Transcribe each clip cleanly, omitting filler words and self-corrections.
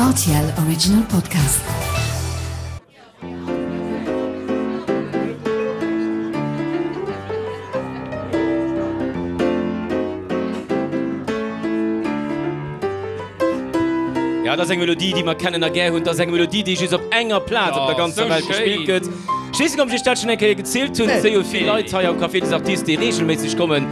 RTL Original Podcast. Ja, dat ass eng Melodie, déi mer kennen a gär hunn. Dat ass eng Melodie, déi just op enger Plaz op der ganzer Welt gespillt gëtt. Ech weess net, ob ech iech dat schonn eng Kéier gezielt hunn. Et si jo vill Leit hei am Café des Artistes, déi reegelméisseg kommen,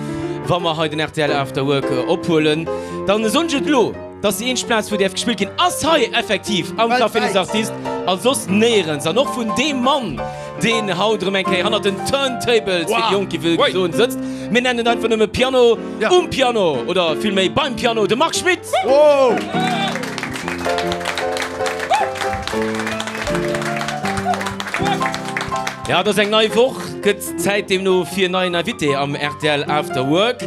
wa mer hei den rtl After Work ophuelen. Dann soen ech et elo, dass déi eenzeg Plaz, wou däerf gespillt ginn, ass hei effektiv am Café des Artistes a soss néierens. An och vun deem Mann, deen haut erëm eng Kéier hannert den Turntables, wéi déi Jonk gi wëll soen, sëtzt. Mir nennen en einfach nëmme Piano, um Piano oder villméi beim Piano, de Marc Schmitt! Ja, et ass eng nei Woch, gëtt Zäit deemno fir en neien Invité am rtl After Work.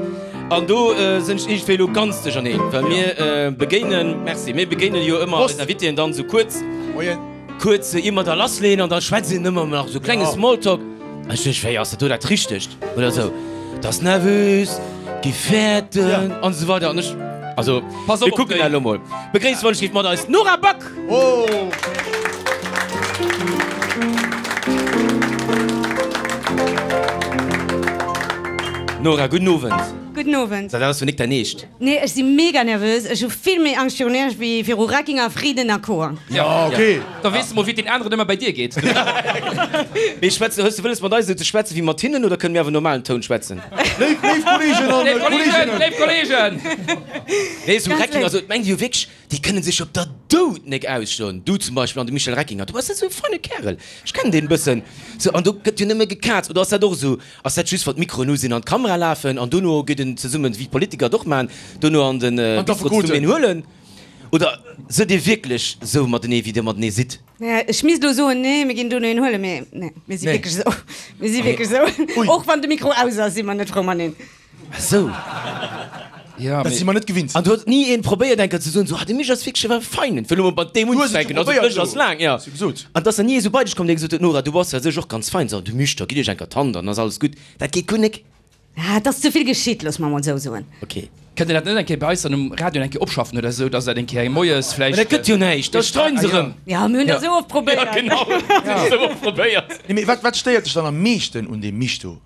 An do sinn ech iergendwéi elo ganz duercherneen, well mir begéinen, merci, mir begéinen jo ëmmer eis Invitéen dann esou kuerz. Kuerz ier mer da lassleeën an da schwätzt een ëmmer nach esou klenge Smalltalk. An ech duecht, wéi ass dat do dat Richtegt oder esou? Dat ass nervös, gi fäerten an esou weider. An ech, also mir kucken dat elo mol. Begréisst wann ech géif mat eis d'Nora Back! Nora, gudden Owend. Gudden Owend. Dat ass jo nik däin Eescht. Nee, ech si mega nervös. Ech hu vill méi Angscht virun Iech wéi viru Reckinger, Frieden a Co. Ja, ok. Da weess de mol, wéi et den aneren ëmmer bäi dir geet. Mee schwätzen, hues de wëlles mat eis esou ze schwätzen wéi mat hinnen oder kënne mir awer normalen Toun schwätzen? Léif, léif Kolleegen an Léif Kolleegen, léif Kolleegen! Nee, esou Reckinger, also et mengt ee jo wierklech, déi kënne sech op der Doud nek ausstoen. Du zum Beispill an de Michel Reckinger, du bass esou e feine Kärel, ech kennen deen e bëssen. Sou, an do gëtt jo nëmme gekaazt. Oder ass dat och esou? Ass dat just wann d'Mikroen u sinn an d'Kamera lafen an dono geet en zesummen, wéi d'Politiker et och maachen, dono an den Bistro zesummen een huelen? Oder sidd dir wierklech sou matenee wéi dir matenee sidd? Ech misst elo soen, nee mir ginn dono een huelen, mee nee, mir si wierklech esou. Mir si wierklech esou. Och wann de Mikro aus ass, si mer net frou mateneen. Ah sou. Ja, Dat si mer net gewinnt. An do huet ni een probéiert eng Kéier ze soen, sou, ah de Mich ass wierklech e feinen, fir elo mol mat deem Du hues et unzefänken, jo also probéiert d'Lëscht ass elo. laang, ja. Hues jo gesot. An et ass dann ni ee sou bei dech komm, dee gesot huet, Nora, du bass a sech och ganz fein, sou, de Mich, da gitt iech eng Kéier d'Hand an ass alles gutt. Dat geet guer nek. Ah, et ass ze vill geschitt, looss mer mol sou soen. Ok. Kënnt Dir dat net eng Kéier bei eis dann um Radio eng Kéier opschaffen oder esou, dass dat eng Kéier moies Mä vläicht. dat gëtt jo näischt, da streiden se erëm. Ja, mir hunn dat esou oft probéiert. Ja, genau, esou oft probéiert. Nee, mee wat, wat stéiert dech dann am meeschten un deem Mich do?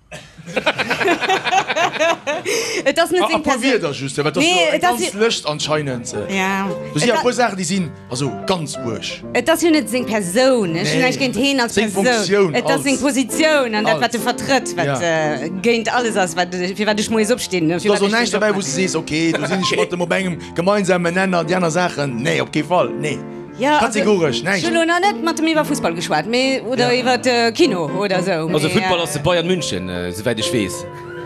Et ass net A seng puer Persoun. Wierder just, well dat ass Nee, jo eng et ass ganz jo. Lëscht anscheinend. Ja. Do si Et jo e a. puer Saachen, déi sinn also ganz uerg. Et ass jo net seng Persoun. Ech hunn Nee, näischt géint heen als seng Persoun. Funktioun Et ass seng als. Positioun an dat, wat Als. e vertrëtt, wat Ja. géint alles ass, wat, fir wat ech moies opstinn, fir Do ass wat och ech den näischt Job derbäi, wou s maachen. de sees, okay, do sinn ech mat em op engem gemeinsamen Nenner, déi aner Saachen, nee, op kee Fall, nee. Ja, also, Kategoresch, ech näischt. hunn elo nach net mat em iwwer Fussball geschwat, mee, oder Ja. iwwer Kino oder esou, Also mee. Futtball ass de Bayern München, souwäit ech weess.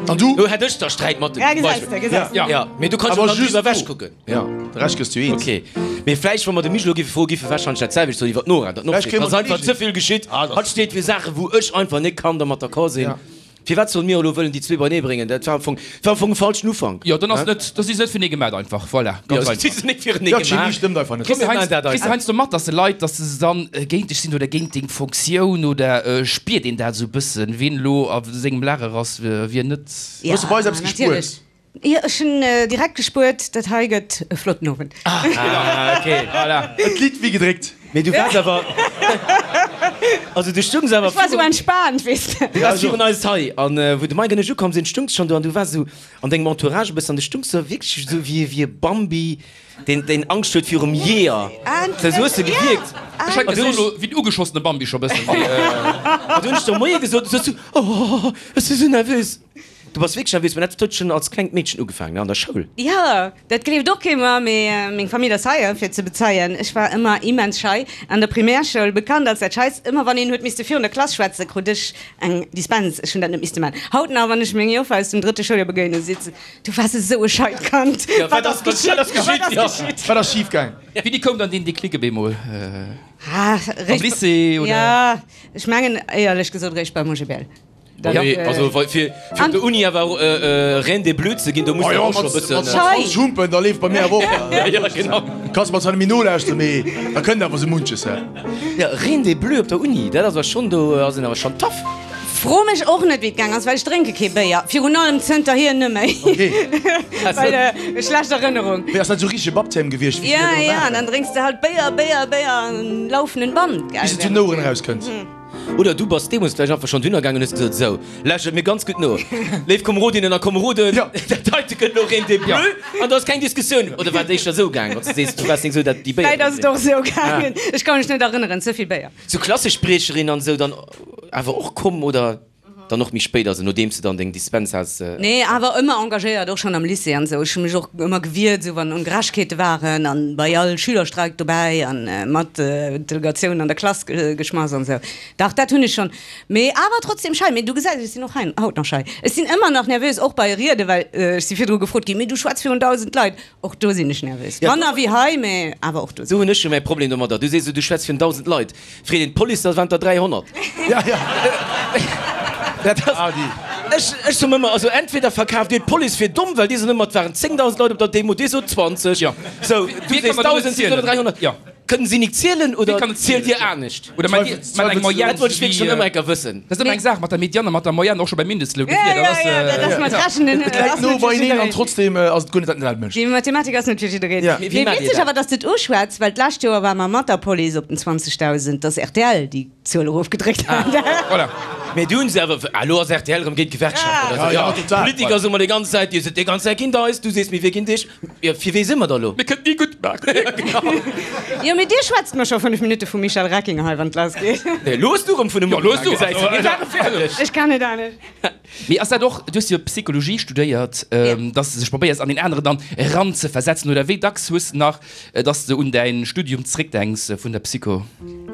An du? Do hätt ech da Sträit mat dem, Ja, zum gesäis Beispill. de, gesäis de. Ja. Ja, mee du kanns jo Awer dann just driwwer du. ewech kucken. Ja, de Rescht gëss du eens. Ok, mee vläicht wa mer de Michel elo géife froen, géif e warscheinlech dat selwecht soen iwwer d'Nora, datt Vläicht kréie d'Nora mer ass einfach d'Kolleegen. ze vill geschitt. Ah, dat Hatt steet fir Saachen, wou ech einfach net kann dermat d'accord sinn. Ja. Firwat solle mir elo wëllen déi zwee beinee bréngen? Dat war am Fong, war am Fong e falschen Ufank. Jo, dann ass net, da si se net fir enee gemat einfach, voilà, Jo, ganz si einfach. sinn net fir enee Ja, d'Chemie gemaach. stëmmt einfach net. Kriss Komm, du mir maachen dat heiansdo, kriss du einfach. heiansdo mat, dass de Leit, dass se dann géint dech sinn oder géint deng Fonctioun oder spiert een dat esou e bëssen, wien elo a sengem Lager ass, wien net? Ja, Hues du bei eis eppes gespuert? natierlech. Jo, ech hunn direkt gespuert, dat hei gëtt e flotten Owend. Ah, ok. Voilà. Et litt wéi gedréckt. Mee du waars awer, also du stungs awer Ech war esou virun, entspaant, weess de. du waars virun eis hei an wou de Mike an ech ukomm sinn, stungs schonn do an du waars esou an dengem Entourage e bëssen an du stungs esou wierklech esou wéi wéi e Bambi, deen deen Angscht huet virum Jeeër. Esou hues de gewierkt. Ech hätt An du gesot hunn elo ech, wéi den ugeschossene Bambi scho bëssen, mee. an du hunn ech der Moie gesot, du soss esou, oh, ech si sou nervös. Du bass wierklech nervös, mä dat huet schonn als klengt Meedchen ugefaangen, ne, an der Schoul? Jo, dat gleeft och kee mer, mee meng Famill ass hei, fir et ze bezeien. Ech war ëmmer immens schei. An der Primärschoul bekannt als dat Scheist. Ëmmer wann een huet misste virun der Klass schwätzen, krut ech eng Dispens. Ech hunn dat net misste maachen. Haut nach, wann ech meng Joffer aus dem drëtte Schouljoer begéinen, seet se, Du waars esou e scheit Kand. Jo, wat ass geschitt? Wat ass geschitt? Wat ass schif gaang? Wéini koum dann deen Déclic op eemol? Ah, Am réischt, Lycée, oder? jo, ech mengen éierlech gesot réischt beim OGBL. Ja. Nee, also fir, fir op der Uni awer Reine des Bleus ze ginn, do muss de och scho bëssen. Mat 20 Humpen, da leeft bei mir awer och. Ja, genau. Kanns mer zwar net méi nolauschteren, mee da kënnt awer sou munches. Ja, Reine des Bleus op der Uni, dat ass awer schonn, do ass een awer schonn tough. Fro mech och net wéi et gaang ass, well ech drénke kee Béier, virun allem zënterhier nëmméi. Well schlecht Erënnerung. Wéi ass dat esou richtege Baptême gewiescht wéi Ja ja, an dann drénks de halt Béier, Béier, Béier an laufenden Band, gell. Bis et zu den Oueren erauskënnt. Oder du bass deemools vläicht einfach schonn dunner gaangen an hues gesot, Sou, lauschtert mir ganz gutt no, léif Komerodinnen a Komeroden, dat heite gëtt elo Reine des Bleus an do ass keng Diskussioun. Oder war et éischter esou gaangen, wann s de sees, du waars nik esou dat déi Béier Vläicht ass et och esou gaangen, ech ka mech net erënneren, ze vill Béier. Sou Klassespriecherin an esou dann awer och komm oder dann och méi spéit, also nodeems de dann deng Dispens has? Nee, awer ëmmer engagéiert, och schonn am Lycée an esou. Ech hu mech och ëmmer gewiert, esou wann Ongerechtegkeete waren an bei all Schülerstreik dobäi an mat d'Delegatioun an der Klass geschmass an esou. Dach, dat hunn ech schonn. Mee awer trotzdem schei. Mee du gesäis, ech sinn och hei haut nach schei. Ech sinn ëmmer nach nervös, och bei Rieden, well ech si virdru gefrot ginn, mee du schwätz virun 1.000 Leit. Och do sinn ech nervös. Manner wéi hei, mee awer och do. Do hunn ech jo mäi Problem domadder. Du sees esou, du schwätz virun 1.000 Leit. Freet een d'Police, da waren et der 300. Ja, ja. Dat ass, ech, ech soen ëmmer, also entweder verkaaft dir d'Police fir domm, well déi soen ëmmer, et waren 10.000 Leit op der Demo, dir sot 20. Ja. Sou, du sees 1.000, si soen 300. Ja. Kënnen si nik zielen oder Wie kann et zielt zielen? dir anescht? Oder mat eng Moyenne. Dat wollt ech wierklech schonn ëmmer enker wëssen. Dat ass ëmmer eng Saach mat der Mediane a mat der Moyenne, och scho beim Mindestloun. Ja, ja, ja, dat ass mat Rechnen. Et läit no beieneen an trotzdem ass et guer net dat dat mécht. Déi Mathematik ass net fir jiddereen. Ja. Mee witzeg awer, dass de et uschwätz, well d'lescht Joer ware mer mat der Police op den 20.000, dass rtl déi Zuel erofgedréckt hat. Voilà. Mee du hunn se awer, ah lo ass rtl erëm géint d'Gewerkschaften oder sou. Ja, total. D'Politiker soe mer déi ganz Zäit, dir sidd déi ganz Zäit géint eis. Du sees, mee wie géint iech? Jo, fir wee si mer da lo? Mir kënnen ni gutt maachen. Jo, mee dir schwätzt mer scho 5 Minutte vum Michel Reckinger hei, wann et lass geet. Nee, lo hues du erëm vun em Jo, lo hues du. Gesäis du, mir ware fäerdeg. Ech kann net anescht. Mee ass dat och, du hues jo Psychologie studéiert, dass de sech probéiers an deen aneren dann eranzeversetzen, oder wéi dacks hues de nach, dass de un däin Studium zréckdenks vun der Psycho?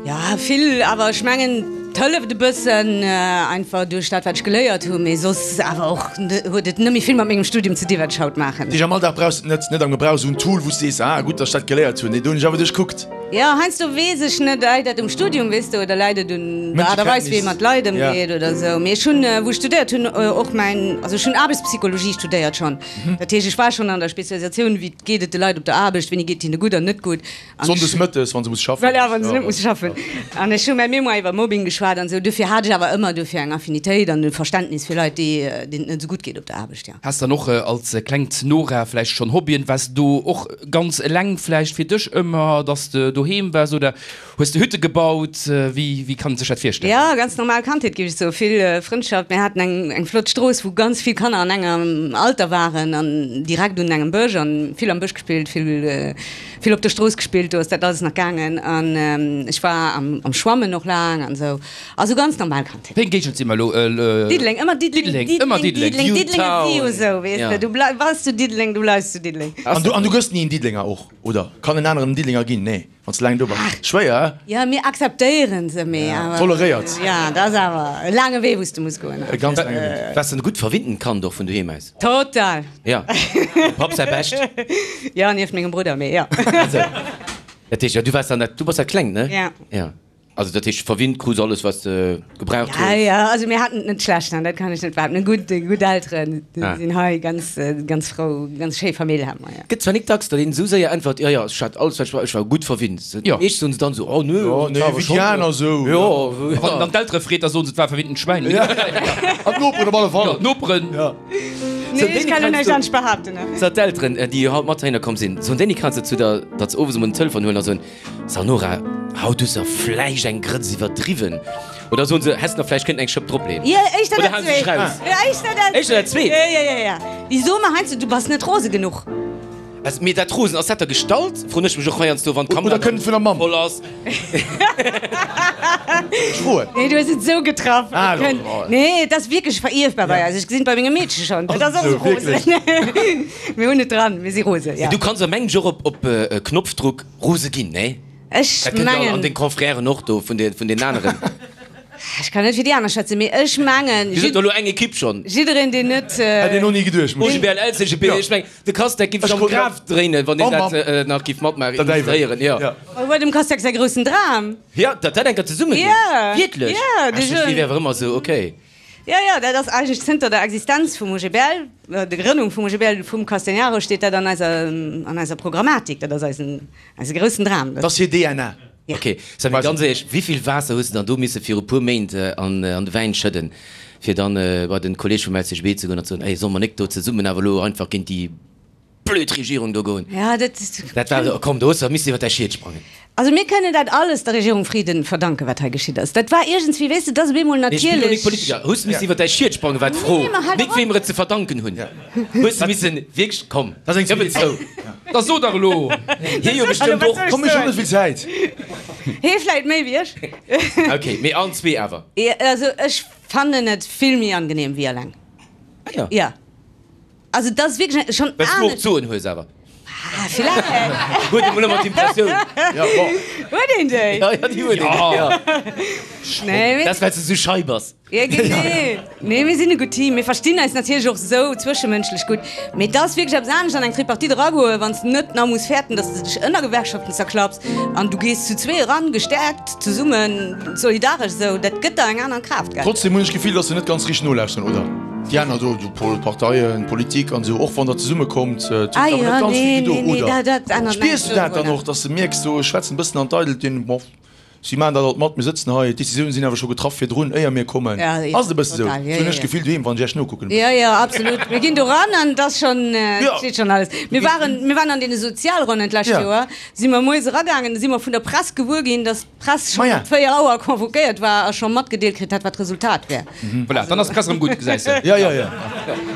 Jo, vill, awer ech mengen, et hëlleft e bëssen einfach duerch dat, wat ech geléiert hunn, mee soss awer och huet et net méi vill mat mengem Studium ze dinn, wat ech haut maachen. Dich am Alldag brauchs de et net, net am Gebrauch, esou en Tool, wou s de sees, ah gutt, datt ech dat geléiert hunn, nee, do hunn ech awer duerch kuckt. Jo, heiansdo weess ech net, läit dat um Studium, weess de, oder läit et un der Aart a Weis, wéi ee mat Leit ëmgeet oder esou. Mee ech hunn, wou ech studéiert hunn, och mäin, also ech hunn Aarbechtspsychologie studéiert schonn, dat heescht, ech war schonn an der Spezialisatioun, wéi geet et de Leit op der Aarbecht, wéini geet et hinne gutt an net gutt. Sonndes mëttes, wann se muss schaffen. Voilà, wann se net musse schaffen. An ech hu mäi Mémoire iwwer Mobbing geschwat an esou. Dofir hat ech awer ëmmer dofir eng Affinitéit an e Verständnis fir Leit, déi, deenen et net esou gutt geet op der Aarbecht, jo. Has dann och als klengt Nora vläicht schonn Hobbyen? Waars de do och ganz eleng vläicht fir dech ëmmer, dass de doheem waars oder hues de Hütte gebaut? Wéi, wéi kann een sech dat virstellen? Jo, ganz normal Kandheet, géif ech soen. Vill Frëndschaft. Mir haten eng, eng flott Strooss, wou ganz vill Kanner an engem Alter waren an direkt un engem Bësch an vill am Bësch gespillt, vill. Vill op der Strooss gespillt, do ass dat alles nach gaangen an ech war am Schwammen och laang an esou. Also ganz normal Kandheet. Wéi eng Géigend si mer elo? Diddeleng, ëmmer Diddeleng, ëmmer Diddeleng, Diddeleng, Diddeleng ass jo esou, weess de, du bleif, bass zu Diddeleng, du bleifs zu Diddeleng. An du, an du gëss ni en Diddelenger och, oder? Kann en aneren en Diddelenger ginn? Nee, wann s de laang do bass. Schwéier, hä? Jo, mir akzeptéieren se, mee awer. Toleréiert. Jo, dat ass awer e laange Wee, wou s de muss goen. E ganz laange Wee. Waars de e gutt verwinntent Kand och vun doheem aus? Total! Ja, dem Papp säi Bescht. Jo, nieft mengem Brudder, mee jo. Also, dat heescht, jo, du waars dann dat, du bass dat Klengt, ne? Ja. Ja. Also, dat heescht, verwinnt krus alles, wat s de gebraucht Ja, hues. ja, also mir haten et net schlecht, dat kann ech net behaapten. Gutt, gutt Elteren, déi Ah. sinn hei ganz, ganz frou, ganz schéi Famill hate mer, ja. Gëtt zwar nik dacks, datt een esou séier äntwert, jo, jo, ech hat alles, wat ech brauch, ech war gutt verwinnt. Jo. Meescht soen se dann esou, oh, nö, Jo, nee, war awer wéi déi schonn. aner esou. Jo, Wann een dann d'Eltere freet, da soen se, et war e verwinntent Schwäin. Ja. An d'Noperen op alle Fall. Jo, d'Noperen. Ja. Nee, ech kann jo näischt anescht behaapten. So, d'Elteren, déi haut mat heihinner komm sinn, soen déi kanns de zu der, datt se owes emol den Telefon huelen a soen, So Nora, haut hues de vläicht eng Grëtz iwwerdriwwen. Oder soen se, häss nach vläicht kënnten eng Schëpp dropleeën. Jo, éischter Oder dat halen se sech zweet. raus? Jo, éischter dat Éischter dat zweet? Jo, jo, jo, jo. Déi soe mer heiansdo, du bass net rose genuch. Also, mee dat Rosen, ass dat der Gestalt? Froen ech mech och heiansdo, wann d'Kamera Oder kënnt et vun der Mamm? voll ass. Ech froen. Nee, du hues et esou getraff. Ah, Et kënnt, oh. nee, et ass wierklech verierfbar bei eis. Ech gesinn et bei mengem Meedche schonn. Dat ass och esou rosen. Mir hunn et dran, mir si rose, ja. Du kanns a mengem och op, op Knopfdruck rose ginn, nee? Ech Dat kënnt jo an mengen. deng Confrèren och do vun de, vun den aneren. Ech kann net fir déi aner schwätzen, mee ech mengen, Dir sidd do elo eng Ekipp schonn. jiddereen, deen net. Hätt een och ni geduecht, muss ech. OGBL, LCGB, ech mengen, de Casteck giff sech am Graf dréinen, wann deen dat nach giff matmaachen, illustréieren, jo. Oh, war dem Casteck säi groussen Dram. Jo, datt dat eng Kéier zesumme geet. Jo. Wierklech? Jo, Ech duecht, déi wär awer ëmmer esou, okay. Jo, jo, dat ass eigentlech zënter der Existenz vum OGBL, der Grënnung vum OGBL, vum Castegnaro, steet dat an eiser, an eiser Programmatik. Dat ass eisen, eise groussen Dram. Dat ass hir DNA. Ok, Sammy, ganz éierlech, wéivill Waasser hues de dann do misse viru puer Méint an de Wäin schëdden, fir dann bei den Kolleg vum LCGB ze goen an ze soen, ey, solle mer nik do zesummen awer elo einfach géint déi blöd Regierung do goen? Ja, dat. Dat war, komm, do hues de missen iwwer däi Schiet sprangen. Also mir kënnen dat alles der Regierung Frieden verdanken, wat hei geschitt ass. Dat war iergendswéi, weess de, dat ass op eemol Nee, ech bin elo nik natierlech. Politiker. Hues de missen iwwer däi Schiet sprangen, war d'Fro, Nee, ma halt nik op. wem mer et ze verdanken hunn. Hues de missen wierklech, komm, gëff et zou. Da so dach elo! Hie jo bestëmmt och. Komm, ech hunn net vill Zäit. Hie vläit méi wéi ech. Ok, mee allen zwee awer. Also ech fannen et vill méi angenehm wéi eleng. Ah jo. Jo. Also dat ass wierklech schonn Well s du och anescht. d'Soen hues awer. Ah, villäicht. Huet ee mol ëmmer d'Impressioun. Ja, bon. Huet een déi? Ja, ja, déi huet een. Ja. Nee, mee. Dat ass, well s de sou schei bass. Ja, genee. Nee, mir sinn e gutt Team. Mir verstinn eis natierlech och esou zwëschemënschlech gutt. Mee et ass wierklech eppes anescht an eng Tripartite eragoen, wann s de net nach muss fäerten, dass de dech ënner Gewerkschaften zerklapps. An du gees zu zwee eran, gestäerkt, zesummen, solidaresch esou. Dat gëtt der eng aner Kraaft, gell? Trotzdem hunn ech d'Gefill, dass se net ganz richteg nolauschteren, oder? Déi aner do, Parteien, Politik an esou, och wann der zesumme kommt, et huet Ah awer jo, net ganz nee, vill gedo, nee, nee, oder? dat, dat ännert Spiers näischt du dat dann dodrunner. och, dass de mierks, do schwätzen e bëssen an d'Eidelt, deen, bon, si maachen dat alt mat, mir sëtzen hei, d'Decisioune sinn awer scho getraff virdrun, éier mir kommen. Ja, ja, Ass et e bësse sou? total, ja, Sou hunn ja, ech ja. d'Gefill doheem, wann ech iech nokucken e Ja, bëssen. ja, absolut. Mir ginn do ran an et ass schonn, et Ja. steet schonn alles. Mir waren, mir waren an deene Sozialronnen d'lescht Ja. Joer, si mer moies eragaangen, da si mer vun der Press gewuer ginn, dass d'Press schonn Maja. op 4 Auer convoquéiert war a scho matgedeelt kritt hat, wat d'Resultat wär. Voilà, dann ass d'Press erëm gutt, gesäis de. Ja, ja, ja.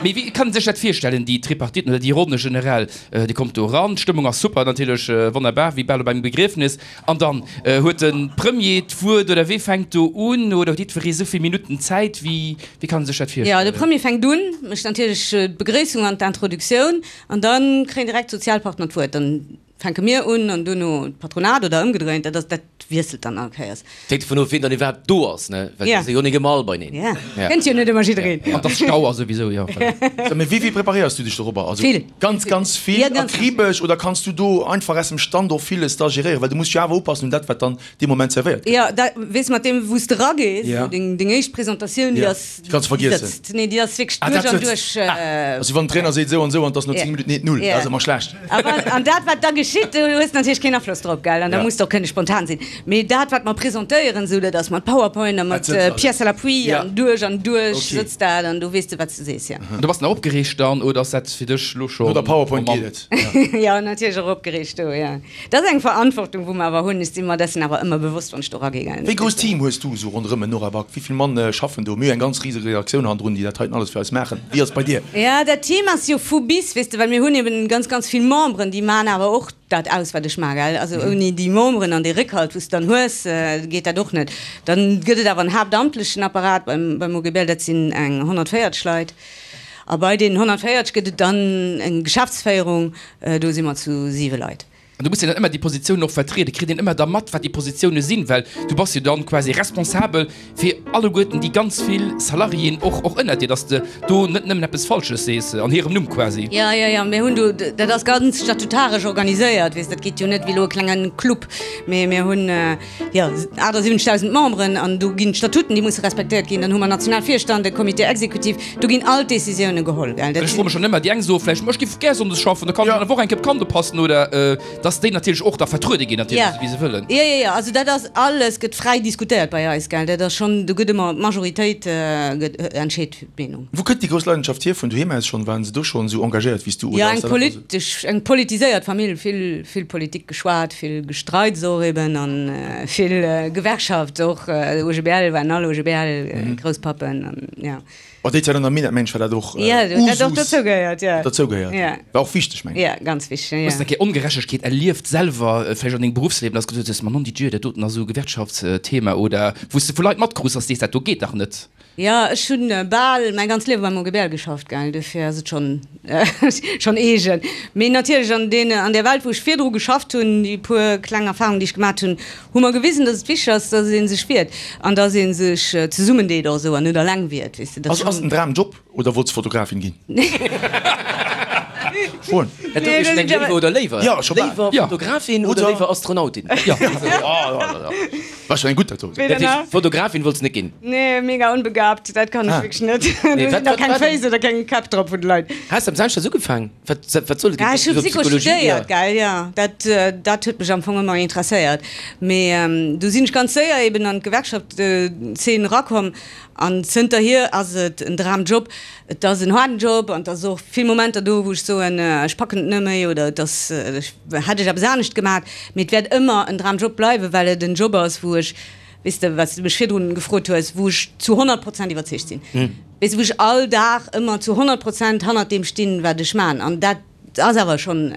Mee wéi kann een sech dat virstellen, déi Tripartiten oder déi Ronne generell? Dir kommt do eran, d'Stëmmung ass super natierlech, wonnerbar, wéi bal op engem Begriefnes. An dann huet de Premier d'Wuert oder wee fänkt do un? Oder huet jiddweree esou vill Minutten Zäit? Wéi, wéi kann ee sech dat Jo, de virstellen? Premier fänkt un, mécht natierlech d'Begréissung an d'Introduktioun an da kréien direkt d'Sozialpartner d'Wuert. Dann fänke mir un an duerno d'Patronat oder ëmgedréint. Dat ass, dat wiesselt dann all Kéiers. Et hänkt dovun of, wien dann iwwerhaapt do ass, ne? Well Ja. et si jo nik ëmmer all beineen. Ja, kënnt jo net ëmmer jiddereen. An dass Stau ass souwisou, jo. Voilà. Sag, mee wéi vill preparéiers du dech dorobber? Also Vill. ganz, ganz vill, Ja, ganz, ganz akribesch oder kanns du do einfach aus dem Stand och villes da geréieren? Well du muss jo awer upassen un dat, wat dann dee Moment servéiert gëtt. Jo, da weess mat deem, wou s de eragees, Ja. wou deng, deng éischt Presentatioun, déi Ja. ass, Déi kanns du déi vergiessen. sëtzt. Nee, déi ass wierklech Ah, duerch dat an sëtzt. duerch. Ah, also wann den Trainer seet esou an esou an et ass no 10 Minutten 1, 0, dat ass ëmmer schlecht. A wann, an dat, wat da geschitt, do hues de natierlech keen Afloss drop, gell, an da Ja. muss de och kënne spontan sinn. Mee dat, wat mer presentéieren, esou, dat ass mat PowerPoint a mat Dat sëtzt alles. Pièces à l'appui Ja. an duerch an duerch Okay. sëtzt dat an du weess de, wat s de sees, ja. An du bass nach opgereegt dann oder ass dat fir dech elo scho No der PowerPoint mam. geet et. Ja. Jo, natierlech och opgereegt do, ja. Dat ass eng Verantwortung, wou mer awer hunn. Ech si mer dessen awer ëmmer bewosst, wann ech do ragee, gell. Wéi grouss Team hues du esou ronderëm en Nora Back? Wéi vill Mann schaffen do? Mir hu eng ganz riseg Redaktioun hannendrun, déi dat heiten alles fir eis maachen. Wéi ass et bei dir? Jo, dat Team ass jo vu bis, weess de, well mir hunn eben ganz, ganz vill Memberen, déi maachen awer och dat aus, wat ech maachen, gell. Also ouni déi Memberen an dee Réckhalt, wou s de dann hues, geet dat och net. Dann gëtt et awer en haaptamtlechen Apparat beim, beim OGBL, dat sinn eng 140 Leit. A bei deenen 140 gëtt et dann eng Geschäftsféierung, do si mer zu siwe Leit. An du muss jo dann ëmmer déi Positiounen och vertrieden. Kritt een ëmmer da mat, wat déi Positioune sinn? Well du bass jo dann quasi responsabel fir alleguerten déi ganz vill Salariéen och, och ënnert dir, dass de do net nëmmen eppes Falsches sees an hirem Numm quasi. Jo, jo, jo, mir hunn do, dat ass ganz statutaresch organiséiert, weess, dat geet jo net wéi elo e klenge Club, mee mir hunn, jo, 78.000 Memberen an do ginn d'Statuten, déi musse respektéiert ginn. Dann hu mer national Virstand, e Comité exécutif, do ginn all d'Décisioune geholl, gell. Ech froe mech dann ëmmer, déi eng soe vläicht, ma ech géif gär sonndes schaffen, da kann ech an der Woch eng Kéier op d'Kand oppassen oder dass déi natierlech och da vertruede ginn natierlech, esou wéi se wëllen. Jo, jo, jo, also dat ass alles gëtt fräi diskutéiert bei eis, gell. Dat ass schonn, do gëtt ëmmer d'Majoritéit gëtt entscheet d'Meenung. Wou kënnt déi grouss Leidenschaft hier? Vun doheem aus schonn? Waren se do schonn esou engagéiert wéi s du Jo, oder eng ass dat einfach esou? politesch, eng politiséiert Famill, vill, vill Politik geschwat, vill Gestreits och eben an vill Gewerkschaft och, OGBL waren all OGBL Grousspappen an jo. Oh, déi Zäit an der Minett, mensch, war dat och Jo, dat huet och Usus. dozou gehéiert, jo. Dozou gehéiert. Jo. War och wichteg, mengen ech. Jo, ganz wichteg, jo. Hues de eng Kéier Ongerechtegkeet erlieft selwer, vläicht an dengem Beruffsliewen, dass de gesot hues, Ma non di Dieu, dat doten ass esou e Gewerkschaftsthema oder wou s de vu Leit matkrus, dass de sees, dat do geet dach net? Jo, ech hunn bal mäi ganzt Liewe beim OGBL geschafft, gell, dofir ass et schonn schonn eegen. Mee natierlech an deen, an där Welt wou ech virdru geschafft hunn, déi puer kleng Erfahrungen déi ech gemat hunn, hu mer gewisen, datt et wichteg ass, datt ee sech wiert an datt ee sech zesummendeet och esou an net eleng wiert, weess de. Ass ass en Dramjob oder wollts Fotografin ginn? Froen. Dat do ech meng léiwer oder léiwer? Ja, scho bal. Léiwer Fotografin oder léiwer Astronautin? Ja. War schon eng gutt dat do. Dat heescht, Fotografin wollts net ginn? Nee, mega onbegabt, dat kann ech wierklech net. Do sinn nach keng Féiss oder keng Käpp drop vun de Leit. Has de am Samschdes ugefaang? Wat, wat soll et ginn? Ech hu Psycho studéiert, gell, jo. Dat, dat huet mech am Fong ëmmer interesséiert. Mee du sinn ech ganz séier eben an d'Gewerkschaftszeen erakomm an zënterhier ass et en Dramjob. Et ass en haarden Job an et ass och vill Momenter do, wou ech soen, ech packen et net méi oder et ass, ech hätt ech eppes anescht gemaat. Mee et wäert ëmmer en Dramjob bleiwen, well et en Job ass, wou ech, weess de, wat s de mech virdrun gefrot hues, wou ech zu 100 Prozent iwwerzeegt sinn. Weess de, wou ech all Dag ëmmer zu 100 Prozent hannert deem stinn, wat ech man. An dat ass awer schonn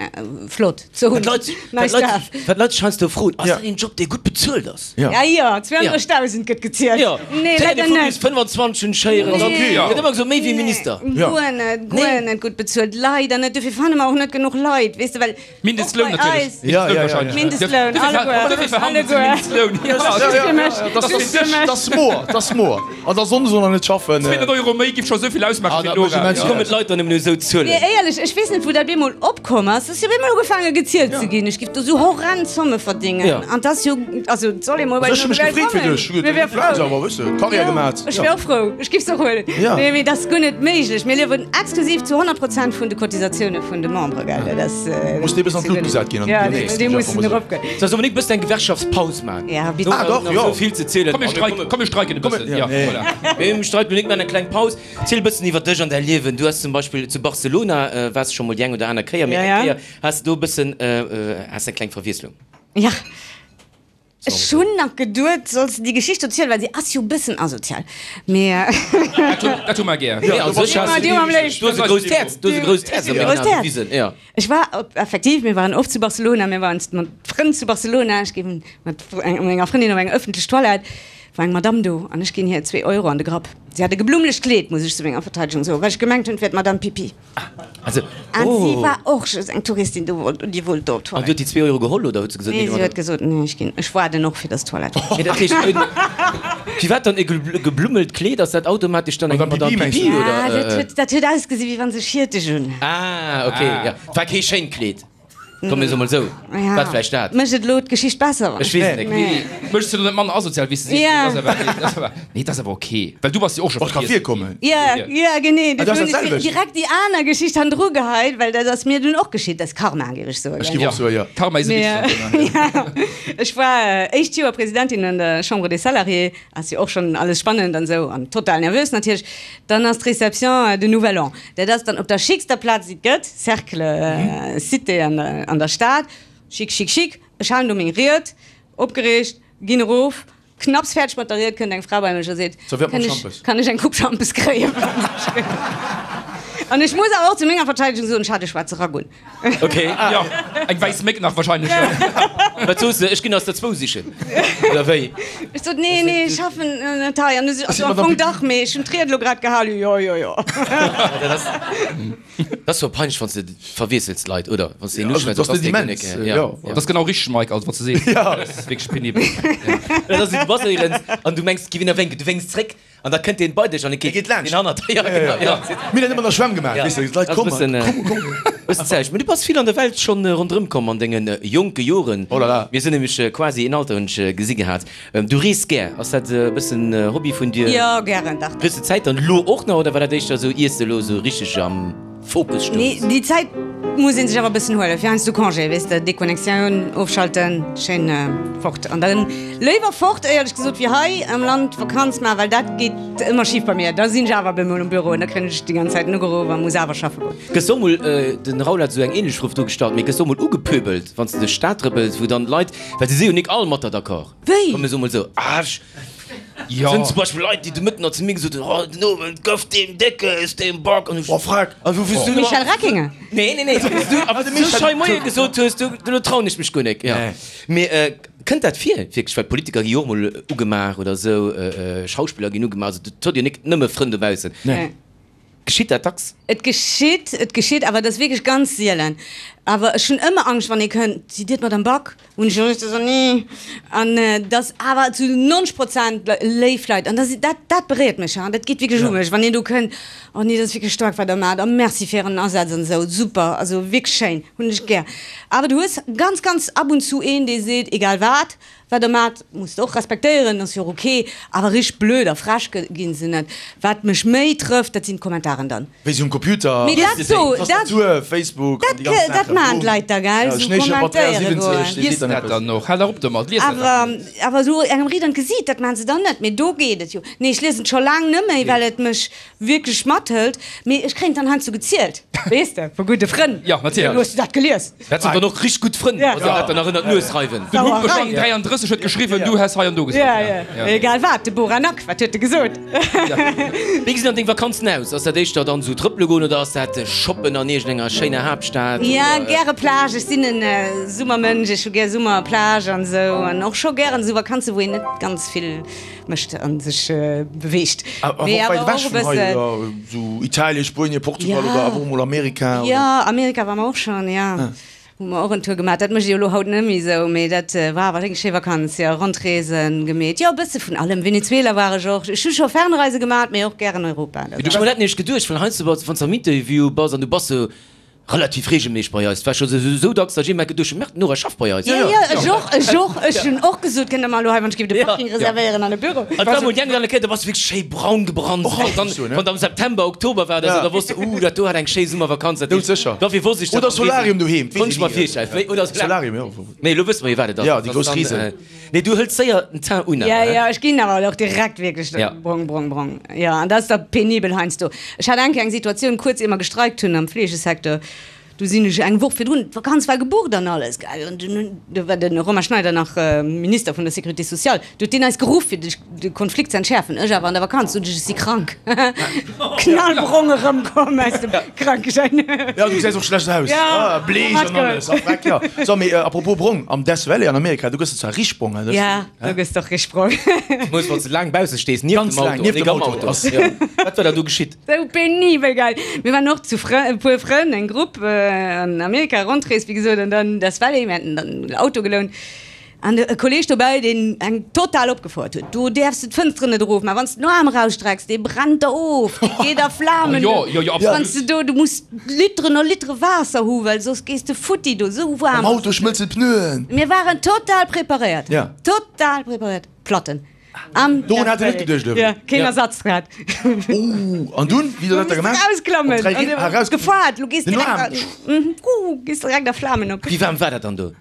flott ze hunn. Wat d'Leit sech heiansdo froen, Ass dat een Job, dee gutt bezuelt ass? Ja, jo, 32.000 gëtt gezielt. Jo, Nee, leider vu net. bis 25 hunn ech héieren. Nee. Gëtt ëmmer gesot, méi wéi Minister. Guer net, guer net gutt bezuelt. Leider net. Dofir fanne mer och net genuch Leit, weess de, well Mindestloun natierlech. Ja, ja, ja, ja. Mindestloun, alleguer. Alleguer. Mindestloun. Ja, Just fir mech. Just fir mech. Dat ass moer, dat ass moer. An da Sonndes och nach net schaffen. 200 Euro méi giff scho souvill ausmaachen fir d'Nora. Wéi kommen d'Leit dann nëmmen u sou Zuelen? Mee éierlech, ech weess net wou dat bemol opkomm ass. Et ass jo bemol ugefaange gezielt ze ginn. Ech giff do sou horrend Zomme verdéngen. An 't ass jo, also et soll ee mol bei Also ech hu mech gefreet fir dech. Mir wär frou. Awer wëss de, Karriär gemat. Ech wär och frou. Ech giff se och huelen. Nee, mee dat ass guer net méiglech. Mir liewen exklusiv zu 100 Prozent vun de Cotisatioune vun de Membere, gell? Dat ass. Muss dee bëssen an d'Lut gesat ginn an Ja, dee mussen eropgoen. So, Dominique, bëssen eng Gewerkschaftspaus man. Ja, bitte. Ah, doch, jo. Sou vill ze zielen. Komm, mir streiken, komm, mir streiken e bëssen. Ja, voilà. Mir streiken Dominique, man eng kleng Paus. Ziel e bëssen iwwer dech an däi Liewen. Du has zum Beispill zu Barcelona, waars scho mol déi eng oder aner Kéier, mee eng Kéier has de do e bëssen, has eng kleng Verwiesslung. Ja. Ech hunn nach geduet, solls de déi Geschicht erzielen, well si ass jo e bëssen asozial, mee. Dat hu mer gär. Nee, a sech has du hues e grousst Häerz, du hues e grousst Häerz a mengen Aen bewisen, jo. Ech war op, effektiv, mir waren oft zu Barcelona, mir waren mat Frënn zu Barcelona, ech gi mat menger Frëndin op eng ëffentlech Toilette, war eng Madamm do an ech ginn hir zwee Euro an de Grapp. Si hat e geblummlecht Kleed, muss ech zu menger Verteidegung soen, well ech gemengt hunn, et wär d'Madamm Pipi. Also, An si oh. war och just eng Touristin do wollt und déi wollt do op An du d'Toilette. huet déi zwee Euro geholl oder huet se gesot, Nee, nee, si huet gesot, nee, ech ginn, ech waarden och fir dass d'Toilette. Mee dat heescht, firwat dann e geblummelt Kleed? Ass dat automatesch dann eng Madame Madame Pipi, mengst Pipi du? oder? Ah, dat huet, dat huet ausgesi wéi wann se Schierteg un. Ah, okay, ja. War kee schéint Kleed. Komm mir soe mol sou, Ja. wat vläicht dat? Mécht et elo d'Geschicht besser? Ech weess et net. Nee. Mécht se elo net manner asozial, wéi s de sees? Ja. Dat ass awer, dat ass awer, nee, dat ass awer ok, well du bass jo och scho Och ka vergiess ginn. virkommen. Ja, ja, genee. Ah, dat ass Dofir hunn dat ech selwecht. direkt déi aner Geschicht hannendru geheit, well dat ass mir dunn och geschitt. Dat ass Karma, géif ech soen. Ech géif och soen, ja. Karma is a Mee, bitch. ja, ech war éischt Joer Presidentin an der Chambre des Salariés, ass jo och schonn alles spannend an esou an total nervös natierlech. Dann ass d'Réception de Nouvel An. Dat ass dann op der schickster Plaz, déi et gëtt, Cercle Cité an der Stad. Chic, chic, chic. Ech halen do meng Ried, opgereegt, ginn erof. Knapps fäerdeg mat der Ried, kënnt eng Fra bei mech a seet, Kann ech, kann ech eng Coupe Schampes kréien? An ech muss awer och zu menger Verteidegung soen, ech hat e schwaarze Rack un. Ok. Jo, eng wäiss Méck nach wahrscheinlech. Wat soos de? Ech ginn aus der zwou sichen, oder wéi? Ech sot, Nee, nee, ech schaffen net hei. An du si, Also am Fong dach, mee ech hunn d'Ried elo grad gehalen. Jo, jo, jo. Dat ass, dat ass scho peinlech, wann s de verwiessels d'Leit, oder? Wann s de een uschwätz, Also, dat ass ass net dee guer immens, net, ja. jo. Dat ass genau richteg, Mike, also wat s de sees. Dat ass wierklech penibel. Dat ass, du bass éierens an du mengs, et giff een erwénken, du wénks zréck. An da kënnt deen bei dech an e geet laanscht. Deen hannert der, ja, genau, ja. Mir hunn dat ëmmer an der Schwämm gemaach, Ja, weess de, d'Leit dat ass kommen, bëssen, komm, komm. bëssen zäich. Mee du bass vill an der Welt schonn ronderëm komm an denge jonke Joren. Oh la la. Mir sinn nämlech quasi een Alter, hunn ech gesi gehat. Du rees gär, ass dat e bëssen Hobby vun dir? Jo, gären, dach, dach. Hues de Zäit dann elo och nach oder war dat éischter esou, iers de elo esou richteg am. Fokus stoung. Nee, déi Zäit muss een sech awer e bëssen huelen, fir heiansdo Congé, weess de, Deconnectioun, ofschalten, schéin fort. An dann léiwer fort, éierlech gesot, wéi hei am Land Vakanz maachen, well dat geet ëmmer schif bei mir. Da sinn ech awer bemol um Büro an da kréien ech déi ganz Zäit ugeruff a muss awer schaffe goen. Gëss de och mol, den Raoul hat esou eng ähnlech Fro do gestallt, mee gëss de och mol ugepöbelt, wann s de duerch d'Stad trëppels, wou dann d'Leit, well se si jo nik all mat der d'accord. Wéi? Komm mir soe mol esou, ah, ech. Jo. Sinn zum Beispill Leit, déi de Mëtten nach zu mir gesot hunn, oh, den Owend gouf deem Déckes, deem Bock. An ech, Oh, frag. A wou wous du Michel Reckinger? Nee, nee, nee. Wous du awer sou schei Moie gesot hues, du, do trauen ech mech guer nek. Ja. Mee kënnt dat vir, wierklech? Well Politiker gi jo och mol ugemaach oder esou, Schauspiller ginn ugemaach, also dat huet jo nik nëmme Frënn dobaussen. Nee. Geschitt dat dacks? Et geschitt, et geschitt, awer et ass wierklech ganz sielen. Awer ech hunn ëmmer Angscht, wann ee kënnt, Sidd Dir d'Madame Back? Hunn ech ëmmer gesot, Nee. An et ass awer zu 90 Prozent léif Leit. An dat, dat beréiert mech, ha, dat geet wierklech u mech, wann een do kënnt, Oh nee, dat ass wierklech staark, wat Der maacht a merci fir Ären Asaz an esou. Super, also wierklech schéin, hunn ech gär. Awer du hues ganz, ganz ab und zu een, dee seet, egal wat, Wat der maacht, musst der och respektéieren, ass jo och ok, awer richteg blöd a frech ginn se net. Wat mech méi trëfft, dat sinn d'Kommentaren dann. Wéi se um Computer, Mee dat so, dat, Tastatur, Facebook an déi ganz dat, dat Saachen, maachen boom. d'Leit da, gell, Ja, sou Schnéiche Batterie kommentéiere 70, goen. dee seet Liest dann dat eppes. dann och? Hal dach op domat, lies dat dach Awer, net. awer sou engem riit an d'Gesiit, dat maachen se dann net, mee do geet et jo. Nee, ech liesen et scho laang net méi, well et mech wierklech mathëlt, mee ech kréien et dann heiansdo gezielt, weess de, vu gudde Frënn. Ja, natierlech. Hues du dat gelies? Dat sinn dann och richteg gutt Frënn, wa se dat dann nach ënnert d'Nues reiwen. Den Humpeschang 33 huet geschriwwen, du häss hei an do gesot. Ja, ja. Egal wat, de Boranak, wat huet e gesot? Wéi gesinn dann deng Vakanzen aus? Ass dat éischter dann esou trëppele goen oder ass dat shoppen an iergendenger schéiner Haaptstad? Ja, gäre Plage. Ech sinn en Summermënsch. Ech hu gär Summer, Plage an esou. An och scho gären esou Vakanze wou een net ganz vill mécht a sech beweegt. Awer Mee och wäit awer ewech och e vun hei, bëssen. oder esou Italien, Spuenien, Portugal oder Ja. awer och mol Amerika, oder? Jo, Amerika war mer och schonn, jo. Hu mer och en Tour gemaach. Dat mécht ee jo elo haut net méi esou, mee dat war awer eng schéi Vakanz, jo. Rondreesen gemeet, jo, e bësse vun allem. Venezuela war ech och. Ech hu scho Fernreise gemaat, mee och gären Europa. Dat Ech hu mer dat nämlech geduecht, well heiansdo wann s de am Interview bass an du bass sou Relativ regelméisseg bei eis. Et war scho sou dacks, datt ech iergendwann geduecht hunn, Merde, d'Nora schafft bei eis. Jo, jo, ech och, ech och. Ech hunn och gesot, kënnt der mer elo hei wann ech géif de Parking reservéieren an e Büro. Et war mol déi eng oder aner Kéier, da bass du wierklech schéi braun gebrannt. Och Dann, so, ne? wann am September, Oktober war oder sou, da wosst de, uh, dat do hat eng schéi Summervakanz. Dat heescht, Doudsécher. dofir wosst ech dat. Oder Solarium doheem, Konnt ech mer virstellen. Wéi, oder Solarium, jo. Nee, elo wësse mer jo, wat et ass. Ja, déi grouss Risen. Nee, du hëls séier den Teint un Ja, awer, he? ja, ech ginn awer och direkt wierklech Ja. brong, brong, brong. Jo, an dat ass da penibel heiansdo. Ech hat eng Kéier eng Situatioun, kuerz ier mer gestreikt hunn am Fleegesecteur, do sinn ech eng Woch virdrun, d'Vakanz war gebucht an alles, gell, an dunn hunn, do war de Romain Schneider nach Minister vun der Sécurité sociale, do huet deen eis geruff, fir de de Konflikt ze entschäerfen. Ech awer an der Vakanz, sot ech, ech si krank. Knallbrong erëmkomm aus dem Krankeschäin. Ja, du gesäis och schlecht aus. Ja, Bleech an alles, a Freck, ja. So, mee apropos brong, am Death Valley an Amerika, do gëss de zwar richteg brong, hè? Ja, do gëss de och richteg brong. Zemools wann s de laang bausse stees, nieft dem Auto, nieft dem Auto. Wat war da do geschitt? Sou penibel geil! Mir waren och zu Frë, e puer Frënn, eng Grupp an Amerika, Rondrees, wéi gesot, an dann Death Valley, mir haten dann en Auto gelount. An e Kolleg dobäi, deen eng total opgefouert huet, Do däerfs de d'Fënsteren net erofmaachen, wann s de den Aarm erausstrecks, dee brennt der of, dee geet a Flamen. Jo, jo, jo, absolut. Wann s de do, du muss Literen a Litere Waasser hu well soss gees de futti do, esou waarm Am ass Auto et. schmëlzen d'Pneuen. Mir waren total preparéiert, Ja. total preparéiert, Platten am Dorun hat en net geduecht, oder wéi? Ja, keen Ersatz gehat. Oh, an dunn, wéi hutt der dat da gemaach? Erausklammen, Op 3 Ried, ah, eraus. Gefaart, lo gees Den direkt, Aarm. mhm, gees direkt a Flamen op. Wéi waarm war dat dann do?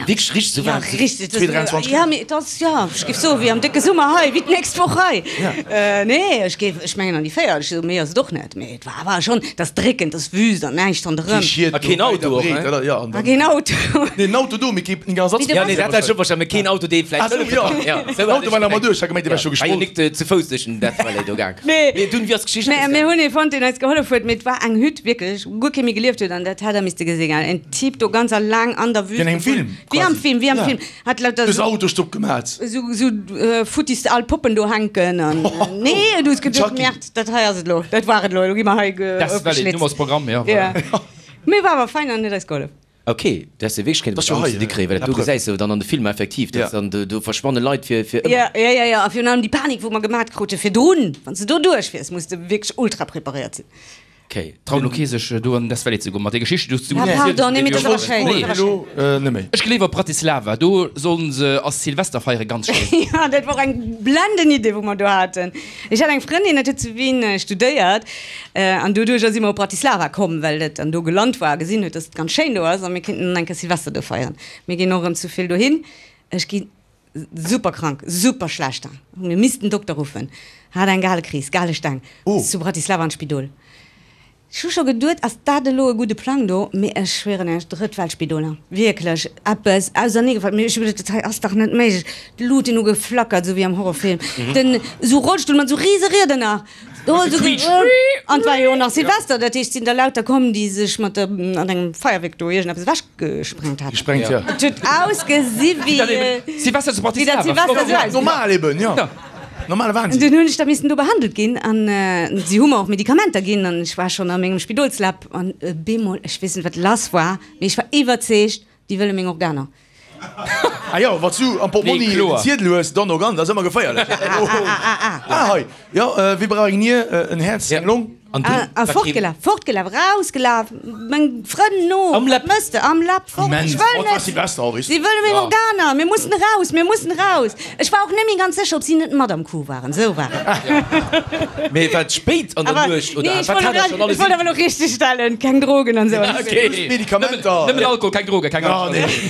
Wierklech richteg sou Ja, waarm? richteg. 2, 23 Ja, mee et ass, ja, ech géif soen, wéi am décke Summer hei, wéi d'nächst Woch hei. Ja. Nee, ech géif, ech mengen an déi 40, sou méi ass et och net, mee et war awer schonn, et ass dréckend, et ass Wüst an näischt ronderëm. Kee Schied A keen do, Auto och, wäit a ne? breet, oder? Ja, an A dann. keen Auto. Nee, en Auto do, mee kee Ersatz. Mee de Ja, nee, dat hat ech och verstanen, mee keen Auto, dee vläicht Ah sou, hëllefe ja. kann. Ja, sou Den hat Auto ech war nach gemengt. mat duerch, ech hat gemengt, dee wär scho Ja, war jo gesprot. nik ze Fouss duerch den Death Valley do gaang. Nee. Mee dunn, wéi ass d'Geschicht Mä mir ausgaangen? hunn ee fonnt, deen eis gehollef huet, mee et war eng Hütt, wierklech, wou guer kee méi gelieft huet an dat hätt der misste gesinn, gell, en Typ do ganz alleng an der Wüst. Wéi an engem Film, Wéi am quasi. Film, wéi am Ja. Film. Hat lauter Duerch sou, Autostopp gemat. sou, sou futtis al Poppen do hänken an nee, du hues geduecht, Chucky. Merde, dat hei ass et lo, dat war et lo, elo gi mer hei ge, Death Valley, Numm ofgeschlitzt. ass Programm, ja, Ja. voilà. Mee war awer fein an huet eis gehollef. Ok, du häss jo wierklech kéinte Das war Angst hei, ze kréien, well dat la do preuve. gesäis de dann an de Filmer effektiv, dass Ja. dann do, do verschwanne Leit fir, fir ëmmer. Ja, ja, ja, ja, a virun allem déi Panik, wou mer gemat krute virdrun, wann s de do duerchfiers, muss de wierklech ultra preparéiert sinn. Ok. Traut lo kee sech do an Death Valley ze goen mat der Geschicht déi du Ah, pardon, nee, mee dat ass awer schéin. Nee. Elo net méi. Ech gleef op Bratislava, do sollen se ass Silvester feiere ganz schéin. Jo, dat war och eng blenden Idee wou mer do haten. Ech hat eng Frëndin, dat huet zu Wien studéiert an doduercher si mer op Bratislava komm, well dat dann do gelant war a gesinn huet, dass et ganz schéin do ass a mir kéinten dann eng Kéier Silvester do feieren. Mir ginn och erëm zu vill dohin. Ech gi super krank, super schlecht, hu mir missten Dokter ruffen, hat eng Galekris, Galesteng, bis zu Bratislava an d'Spidol. Ech hu scho geduet, ass dat elo e gudde Plang do? Mee ech schwieren Iech, Drëttweltspidoler, wierklech eppes auserneegefall. Mee ech hu geduet, dat hei ass dach net méiglech. D'Luuten hu geflackert, esou wéi am Horrorfilm. Den esou Rollstull mat esou rise Rieder nach. An et war jo och nach Silvester, dat heescht, et sinn der lauter komm, déi sech mat der an engem Feierwierk do iergendeppes ewechgesprengt haten. Gesprengt, ja. Et huet ausgesi wéi Silvester zu wéi dat Bratislava. Silvester esou ausgesinn. Normal eben, jo. Normale Wahnsinn. Dunn hunn ech da missen do behandelt ginn an si hu mer och Medikamenter ginn an ech war schonn a mengem Spidolsläpp an bemol, ech weess net wat lass war, mee ech war iwwerzeegt, déi wëlle meng Organer. Ah jo, wann s du am Portmonni en Ziedel hues, dann Organ, dat ass ëmmer geféierlech. Ah hei, jo, wie brauch eng Nier, en Häerz, eng Long? A fortgelaf, fortgelaf, rausgelaf, meng Frënn no, wat mëss de? Am Läpp, fort, ech wëll net! Si wëlle meng Organer, mir mussen eraus, mir mussen eraus! Ech war och net méi ganz sécher, ob si net mat am Coup waren, esou war et. Mee war et spéit an der Nuecht oder wat hat der schonn alles? Ech wollt awer elo richteg stellen, keng Drogen an esou. Medikamenter. Nëmmen Alkohol, keng Drogen, keng Angscht.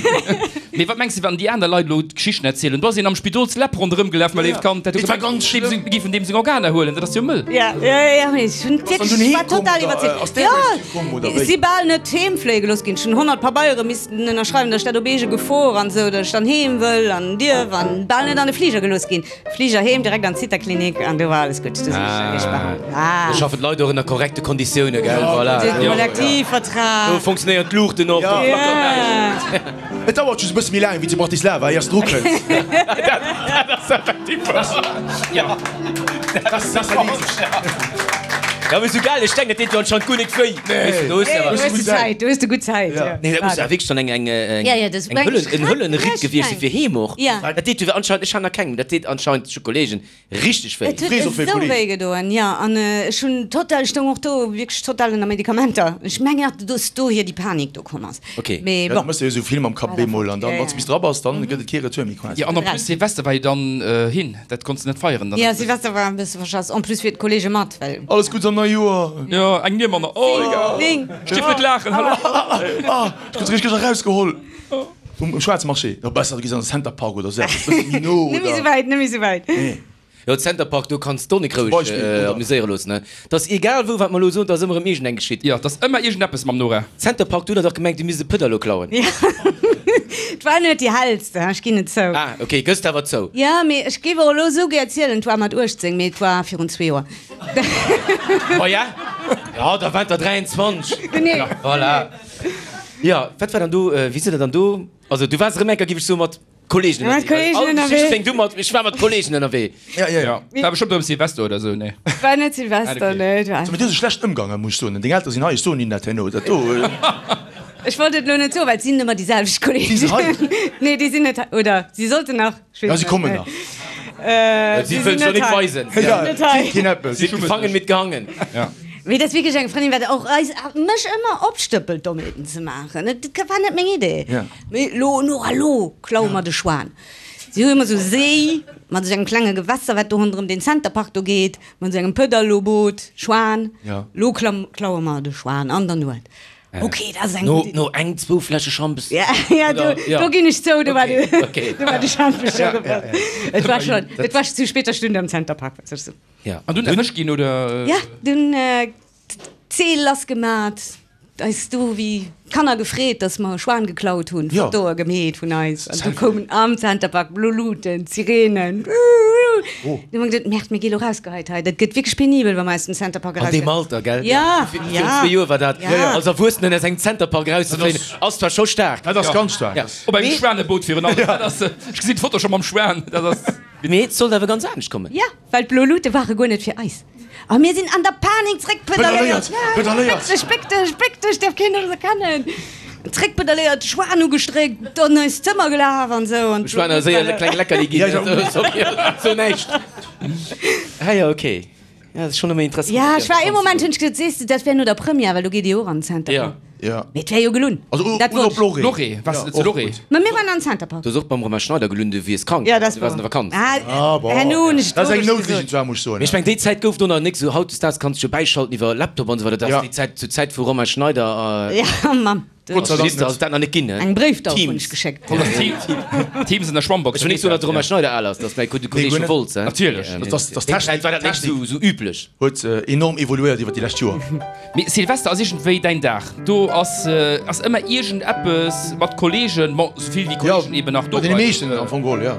Mee wat mengs de, wann déi aner Leit elo d'Geschichten erzielen? Do ass een am Spidolsläpp ronderëm gelaf, mäi léift Kand, dat huet gemengt, si géifen deem seng Organer huelen. Dat ass jo mëll. Jo, jo, jo, mee ech hunn wierklech, ech war total iwwerzeegt. Jo, ech si bal net heem fléie gelooss ginn. Ech hunn 100 Pabeiere missten ënnerschreiwen, datt ech dat op eege Gefor an esou, datt ech dann heem wëll an dierf an bal net an de Fliger gelooss ginn. Fliger heem, direkt an d'Zitherklinik an do war alles gutt. Do sinn ech riicht behandelt. Ah. Do schaffen d'Leit och ënner korrekte Konditioune, gell? Voilà. De Kollektivvertrag. Do funktionéieren d'Luuchten och, do flackert näischt. Et dauert just e bësse méi laang wéi zu Bratislava, éiers de dru kënns. Dat ass effektiv wouer. Jo. Dat ass erleedegt. Ja, mee sou gell, ech denken, dat deet jo anscheinend guer nik wéi. Nee, do hues de Zäit, do hues de gutt Zäit. Nee, dat muss jo wierklech dann eng, eng, eng Höllen, en Höllenritt gewiescht si fir heem och. Dat deet jo anscheinend, ech hat nach keng, dat deet anscheinend, ech hu Kollegen, richteg wéi. Et huet esou wéi gedoen, jo. An ech hunn total, ech stoung och do wierklech total ënner Medikamenter. Ech mengen nach, dass dohier déi Panik do komm ass. Ok. Mee Ja, du bon. mëss jo esou vill mam Kapp bemol an dann, wann s de bis dra bass, dann gëtt et kee Retour méi quasi. Jo, an en plus Silvester war jo dann hin, dat konns de net feieren dann. Jo, Silvester war e bësse verschass. En plus fir d'Kollege mat, well. Alles Gutts am neie Joer! Jo, eng Nier manner. Oh, egal. Ech dierf net laachen, hallo. Ah, ech krut se richteg erausgeholl. Um schwaarze Marché, jo besser du gees an den Center Park oder sou eppes, bësse méi no oder. Net méi sou wäit, net méi sou wäit. Nee. Jo, Center Park, do kanns d'Onnek roueg amuséiere loossen, ne? T'ass egal wou, wat mer elo soen, t'ass ëmmer erëm iergendeng geschitt. Jo, t'ass ëmmer iergendeppes mam Nora. Center Park, do huet der dach gemengt, du misst e Pëdderlo klauen. Jo, 't war net déi hellste, ech ginn et zou. Ah, ok, gëss d'awer zou. Jo, mee ech géif och elo esou gär zielen, 't war mat 18, mee 't war virun zwee Joer. Maja, jo, da waart der 23. Genee. Voilà. Jo, wat war dann do, wéi sidd der dann do, also du waars erëm enker, géif ech soen, mat Kollegen Mat ënnerwee. Kollegen All ënnerwee. Geschicht fänkt u mat, ech war mat Kollegen ënnerwee. Ja, ja, ja. War bestëmmt erëm Silvester oder esou, nee? War net Silvester, nee. Et war. Mat dir ass et schlecht ëmgaangen, muss ech soen. Deng Eltere sinn hei, ech soen hinnen dat herno, dat do. Ech wollt et elo net soen, well et sinn ëmmer déi selwecht Kollegen. Si sinn hei? Nee, déi sinn net hei, oder si sollten nach. Ja, si kommen nach. Si wëllen sech net weisen. Si sinn keen eppes. Si gefangen mit gehangen. Mee dat ass wierklech eng Frëndin, wat och eis, mech ëmmer opstëppelt, Dommheeten ze maachen. Et war net meng Idee. Mee lo, Nora, lo klaue mer de Schwan. Si hu ëmmer esou Séi mat esou engem klenge Gewässer, wat do ronderëm deen Center Park do geet, mat esou engem Pëdderloboot, Schwan. Lo klaue mer de Schwan an der Nuet. Ok, dat ass eng gutt Iddi. No eng, zwou Fläsche Schampes. Ja, ja, do, do ginn ech zou, do war de, do war de Schampes scho gefëllt. Et war schon, et war zu später Stunde am Center Park, wat soll ech soen. Ja. An dunn erwëscht ginn, oder? Ja, dunn d'Zeel lass gemat, eis do wéi Kanner gefreet, dass mer e Schwan geklaut hunn, Fotoe gemeet vun eis. An du koumen am Center Park blo Luuten, Sirenen. Du hu mer geduet, Merde, mir gi lo rausgeheit hei. Dat gëtt wierklech penibel, wa mer aus dem Center Park An deem erausginn. Alter, gell? Ja, Virun ja. zwee Joer war dat. Ja. Als Erwuessenen aus engem Center Park erauszefléien, ass zwar scho staark. Dat ass ganz staark. Ja. Op engem Schwaneboot virun allem. Dat ass, ech gesinn d'Foto scho mam Schwan. Dat ass. Mee et sollt awer ganz anescht kommen. Ja, well d'blo Luute ware guer net fir eis. A mir sinn an der Panik zréckpedaléiert. Pedaléiert! Béck dech, béck dech, béck dech, däerf keen ons erkennen. Zréckpedaléiert, Schwan ugestréckt, an eist Zëmmer gelaf an esou. An Dem Schwan ass séier e kleng Leckerli ginn. So näischt. Ah jo, okay. Ja, dat ass schonn ëmmer interessant. Ja, ech war ee Moment hunn ech gesot, sees de, dat wär no der Première, well do geet Dir och an den Center Ja. Ja. Mee et wär jo gelunn. Also Dat oder wollt op Loré. Loré, waars de zu Loré? Ma mir waren am Center Park. Du hues och beim Romain Schneider gelunn, du wiers krank, Ja, dat du waars an der Vakanz. Ah, Ah, bon. Herno hunn ech Dat ass eng d'Wourecht Noutligen gesot. zwar, muss ech soen. Mee ech meng, déi Zäit gouf do nach nik esou. Hautdesdaags kanns du jo bäischalten iwwer Laptop an esou weider. Dat ass Ja. déi Zäit, zur Zäit vu Romain Schneider a. Ja, Mamm. Gott sei Dank Minister net. ass et dat nach net ginn, ne? Eng Bréifdauf hunn Teams. ech geschéckt. Teams an der Schwammbox. Ech wëll nik soen, datt de Romain Schneider al ass, dat ass mäi gudde Kolleeg guer vu net. Wolz, hein? Natierlech. Mee Das, das déi Zäit war dat nik Technik esou, esou üblech. huet enorm evoluéiert iwwer déi lescht Joer. Mee Silvester ass iergendwéi däin Dag. Do ass ass ëmmer iergendeppes mat Kollegen, bon, souvill wéi Kollegen eben nach do Bei deene bleiwen. meeschten am Fong geholl, ja.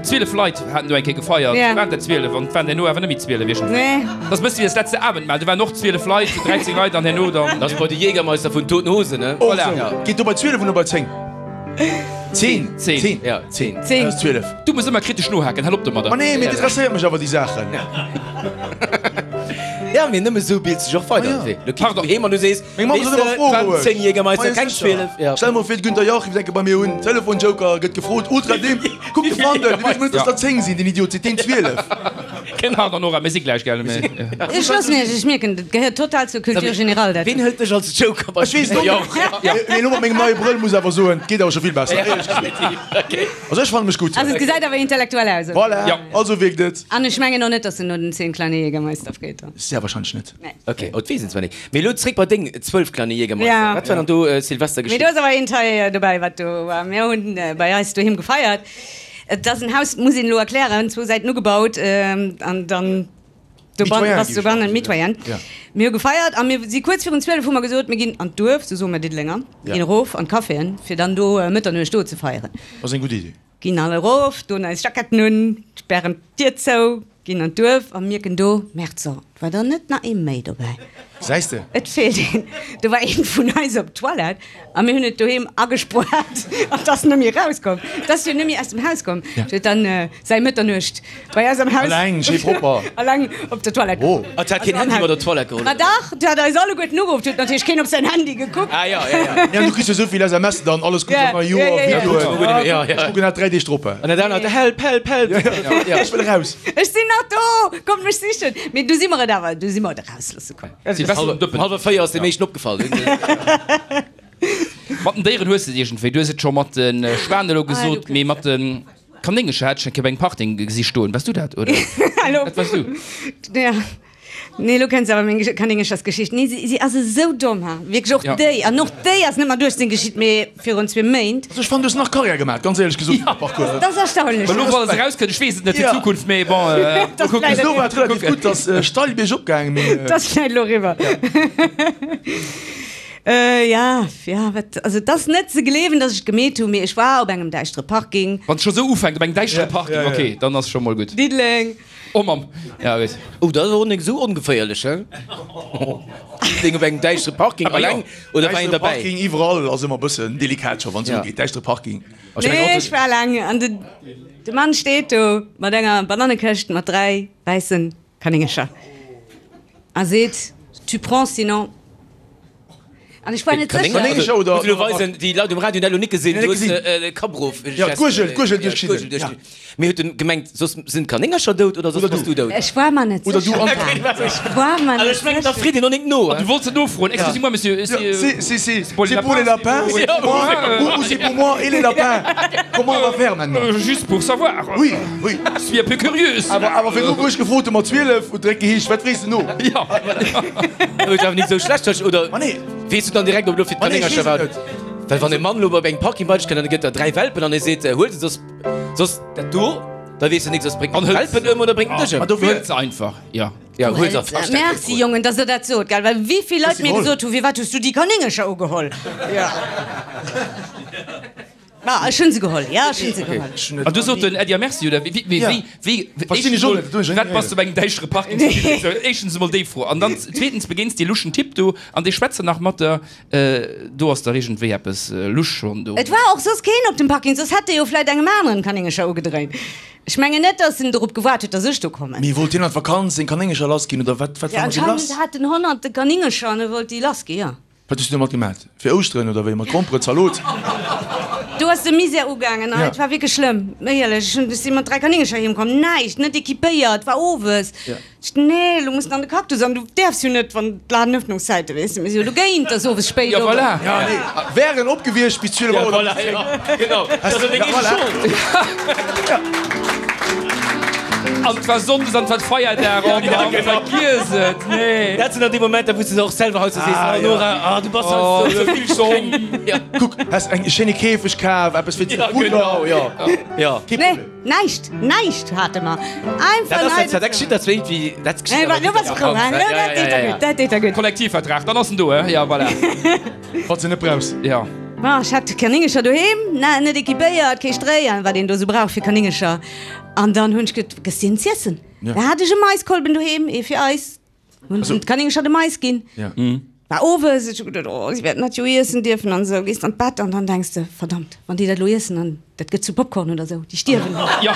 12 Leit haten do eng Kéier gefeiert, Ja. waren der 12 an et waren herno awer net méi 12 iergendwéi. Nee. Dat ass e bësse wéi das letzte Abendmahl, do waren och 12 Leit, 13 Leit an herno dann. Dat ass bei de Jägermeister vun Toten Hosen, ne? Och Voilà. esou. Geet do bei 12 oder bei 10? 10. 10. 10. Ja, 10. 10. Ass 12. Du muss ëmmer kritesch nohaken, hal op domadder. Ma nee, mee et interesséiert mech awer déi Saachen. Ja, mee nëmme sou bilt sech och weider. Ah, ja. Lo kiss du heem an du sees, Meng Mamm sot ëmmer, fro roueg. 10 Jägermeister, Ma keng jo, sécher. 12. Ja. Stell mol vir, de Günther Jauch rifft eng Kéier bei mir un, Telefonjoker gëtt gefrot, ultra deem, kuck de Fandel, dee weess mol net, dass der 10 sinn, deen Idiot seet deen 12. Pardon Nora, mir si gläich, gell? Ech loossen iech, ech mierken, dat gehéiert total zur Culture générale dat. Ween hëlt dech als Joker bei Ech weess et och net. Mee elo mat mengem neie Brëll muss awer soen, et geet awer scho vill besser, éierlech gesot. Also ech fanne mech gutt. Also et gesäit awer intellektuell aus, oder? Voilà, Ja. also wierkt et. An ech mengen och net, dass en no den 10 kleine Jägermeister freet. Sehr wahrscheinlech net. Nee. Ok, oh, et weess een zwar net. Mee elo zréck bei deng 12 kleine Jägermeister. Ja. Wat war dann do Silvester Mee geschitt? do ass awer een Teil dobäi, wat do war. Mir hunn bei eis doheem gefeiert. Et ass en Haus, muss een elo erklären, zwou Säiten ugebaut an dann dobannen ass dobannen Mitoyenne. Mir hu gefeiert a mir si kuerz virun 12 hu mer gesot, mir ginn an d'Duerf, sou soe mer Diddelenger, ginn erof an d'Caféen, fir dann do Mëtternuecht do ze feieren. Ass eng gutt Idee. Ginn all erof, doen eis Jacketten un, spären d'Dier zou, ginn an d'Duerf a mierken do, Merde, so, et war der net nach ee méi dobäi. Gesäis de? Et feelt een. Do war een vun eis op d'Toilette a mir hunn et doheem agespuart an 't ass net méi erauskomm. 't ass jo net méi aus dem Haus komm. Et huet dann säi Mëtternuecht bei eis am Haus. Alleng, schéi propper. Alleng op der Toilette. Oh. Ah, 't hat keen Handy mat op d'Toilette geholl? Ma dach, 't hat eis alleguerten ugeruff. 't huet natierlech keen op säin Handy gekuckt. Ah, ja, ja, ja. Ja, du kriss jo souvill SMSen dann, alles Guddes am neie Joer, Videoen. Ja, ja. Ech kucken dat 3 Deeg drop. An dat anert, Help, help, help. Ja, ech wëll eraus. Ech sinn nach do, kommt mech sichen. Mee du si mer et awer, du si mer et erausloosse komm. Silvester um Dëppen. Um hallwer 4 ass de meeschten opgefall. Mat den Déieren hues de et iergendwéi. Du hues et scho mat de Schwan elo gesot, mee mat de Kanéngercher hat ech eng Kéier bei engem Parting gesi stoen. Waars du dat, oder? Dat waars du. Ja. Nee, elo kenns de awer meng Kanéngerchersgeschicht. Nee, si, si ass esou domm, ha. Wierklech, och déi. An och déi ass net mat 18 geschitt, mee virun zwee Méint. Also ech fannen, du hues nach Karriär gemaat, ganz éierlech gesot, am Parcours. Dat ass erstaunlech. Elo wann se erauskënnt, ech weess et net fir d'Zukunft, mee bon, mol kucken. Bis elo war et relativ gutt, ass steil biergop gaangen, mee. Dat ass vläicht elo eriwwer. Ja, ja, wat, also et ass net ze gleewen, datt ech et gemeet hunn, mee ech war op engem däischtere Parking. Wann et scho sou ufänkt, op engem däischtere Parking, ok, dann ass scho mol gutt. Diddeleng. Oh Mamm, ja gutt. Oh, dat ass och nik esou ongeféierlech, he? Diddeleng op engem däischtere Parking, alleng oder war een Däischtere derbäi? Parking iwwerall ass ëmmer e bëssen delikat scho wann et ugeet, däischtere Parking. Nee, ech war alleng an de de Mann steet do mat enger Banannekëscht mat 3 wäisse Kanéngercher a seet, Tu prends, sinon. An ech war net sécher. Kanéngercher oder? Muss elo weisen, déi Leit um Radio hunn dat elo nik gesinn, du hues de Kapp erof. Ja, d'Gurgel, d'Gurgel duerchgeschnidden. Ja. Mee huet en gemengt, soss sinn d'Kanéngercher dout oder soss bass du dout? Ech war mer net Oder du sécher. an. Ech war mer Also net ech mengen, da sécher. freet een och nik no. An du wollts net nofroen, Excusez-moi, monsieur, C'est, c'est. c'est, c'est, c'est pour les lapins, c'est pour moi, ou, ou c'est pour moi et les lapins? Comment on va faire maintenant? Juste pour savoir. Oui, oui. Je suis un peu curieuse. Awer, awer virdru wou ech gefrot hu mat 12, huet direkt geheescht, wat frees de no? Ja. Huet awer nik sou schlecht, oder? Ma nee. Weess du dann direkt, ob elo fir Ma nee, ech d'Kanéngercher weess war? et net. Well wann e Mann elo op engem Parking bei dech kënnt an e gëtt der 3 Welpen an e seet, huel se, soss, soss dat do, da weess de nik, soss bréngt en d'Welpen ëm oder bréngt en dech ëm. Ma dofir. Huel se einfach, ja. Ja, huel se einfach. Merci Jongen, dass der dat sot, gell, well wéivill Leit mir gesot hu, firwat hues du déi Kanéngercher ugeholl? Ja. Ma ech hunn se geholl, ja, ech hunn se geholl. An du sot den Äddi a Merci, oder wéi, wéi, wéi, wéi, Verstinn ech och net, dat hunn ech wat bass du op engem däischtere Parking zu Diddeleng? Sou, éischtens emol déi Fro. An dann zweetens begéins dee luschen Typ do an dee schwätzt dann nach mat der, do ass dach iergendwéi eppes lusch schonn do. Et war och soss keen op dem Parking, soss hätt e jo vläit engem aneren Kanéngercher ugedréint. Ech mengen net, dass en dorop gewaart huet, dass ech do kommen. Mee wollt hien an d'Vakanz seng Kanéngercher lass ginn, oder wat, wat Ja, war mat him lass? anscheinend hat en honnerte Kanéngercher an e wollt déi lass ginn, jo. Wat hues du domat gemat? Fir Ouschteren oder wéi? Mat Gromperen, Zalot? Do ass de Misär ugaangen, Ja. et war wierklech schlëmm, éierlech. Ech hunn, ech si mat 3 Kanéngercher heem komm, näischt, net equipéiert, war owes. Ja. Ech, nee, elo muss de an de Cactus an du däerfs jo net, wann d'Ladenëffnungszäite, weess de, mir si jo dogéint, dass owes spéit Ja, op ass. voilà. Ja, nee, wären op gewiescht bis 12 Auer oder bis 10. Voilà, genau. Dat ass deng eege Schold. Ja. An et war Sonndes an et war Feierdag, oh Mann, vergiess et, nee. Dat sinn dann déi Momenter, wou s de och selwer haut sou sees, Ah, oh Nora, ah du bass Oh, halt sou sou vill streng. Ja. Kuck, häss eng schéine Käfeg kaf, eppes fir Ja, Fudder. genau, ja. Ja. Kee Nee, Problem. näischt, näischt hate mer. Einfach Dat ass näischt. dat geschitt dat zwéint wéi dat geschitt Nee, awer wa, lo bass wéi frou, hein? Lo, dat deet der gutt, dat deet der gutt. Kollektivvertrag, dann ass en do, he? Ja, voilà. Falls de net brauchs. Ja. Ma ech hat Kanéngercher doheem, na, net equipéiert, kee Stréi an wat een do sou brauch fir Kanéngercher. An dann hunn ech get, gëss hinnen z'iessen. Ja. Da hat ech e Maiskolben doheem, ee fir eis. Hunn Also- d'Kanéngercher de Mais ginn. Ja. War owes, ech hu geduet, oh, si wäerten dat jo iessen dierfen an esou. Gees an d'Bett an dann denks de, verdammt, wann déi dat elo iessen an dat gëtt zu Popcorn oder esou, déi stierwen. Ja.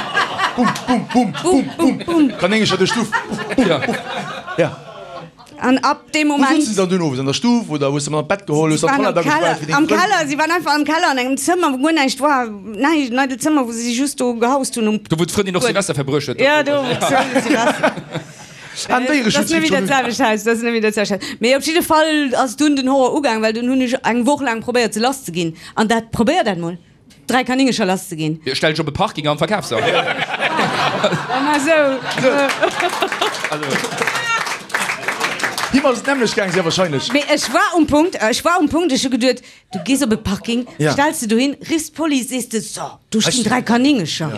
Bum, bum, bum, bum, bum, bum. Kanéngercher duerch d'Stuff. Bum, bum, bum. Ja. An ab deem Wou Moment. souzen se dann dunn owes? An der Stuff oder hues de mat an d'Bett geholl, hues Si dann waren d'Toilette am Keller, agespaart fir deng am Frënn? Keller, si waren einfach am Keller an engem Zëmmer, wou guer näischt war, näischt, en eidelt Zëmmer, wou si just do gehaust hunn um Do wou d'Frëndin och Buedem. Silvester verbruecht huet. Ja, do wou d'Frëndin Silvester. An Dat ass net méi dat Déiereschutz. selwecht Haus, dat ass net méi dat selwecht Haus. Mee op jidde Fall ass dunn den Horror ugaang, well dunn hunn ech eng Woch laang probéiert se lass ze ginn. An dat, probéier dat mol, 3 Kanéngercher lass ze ginn. Jo, stell dech op e Parking an verkaf se. Ma sou. Him ass et nämmlecht gaang, sehr wahrscheinlech. Mee ech war um Punkt, ech war um Punkt, ech hu geduet, Du gees op e Parking, Ja. stells de dohin, riffs d'Police, sees de, So, do stinn 3 Kanéngercher.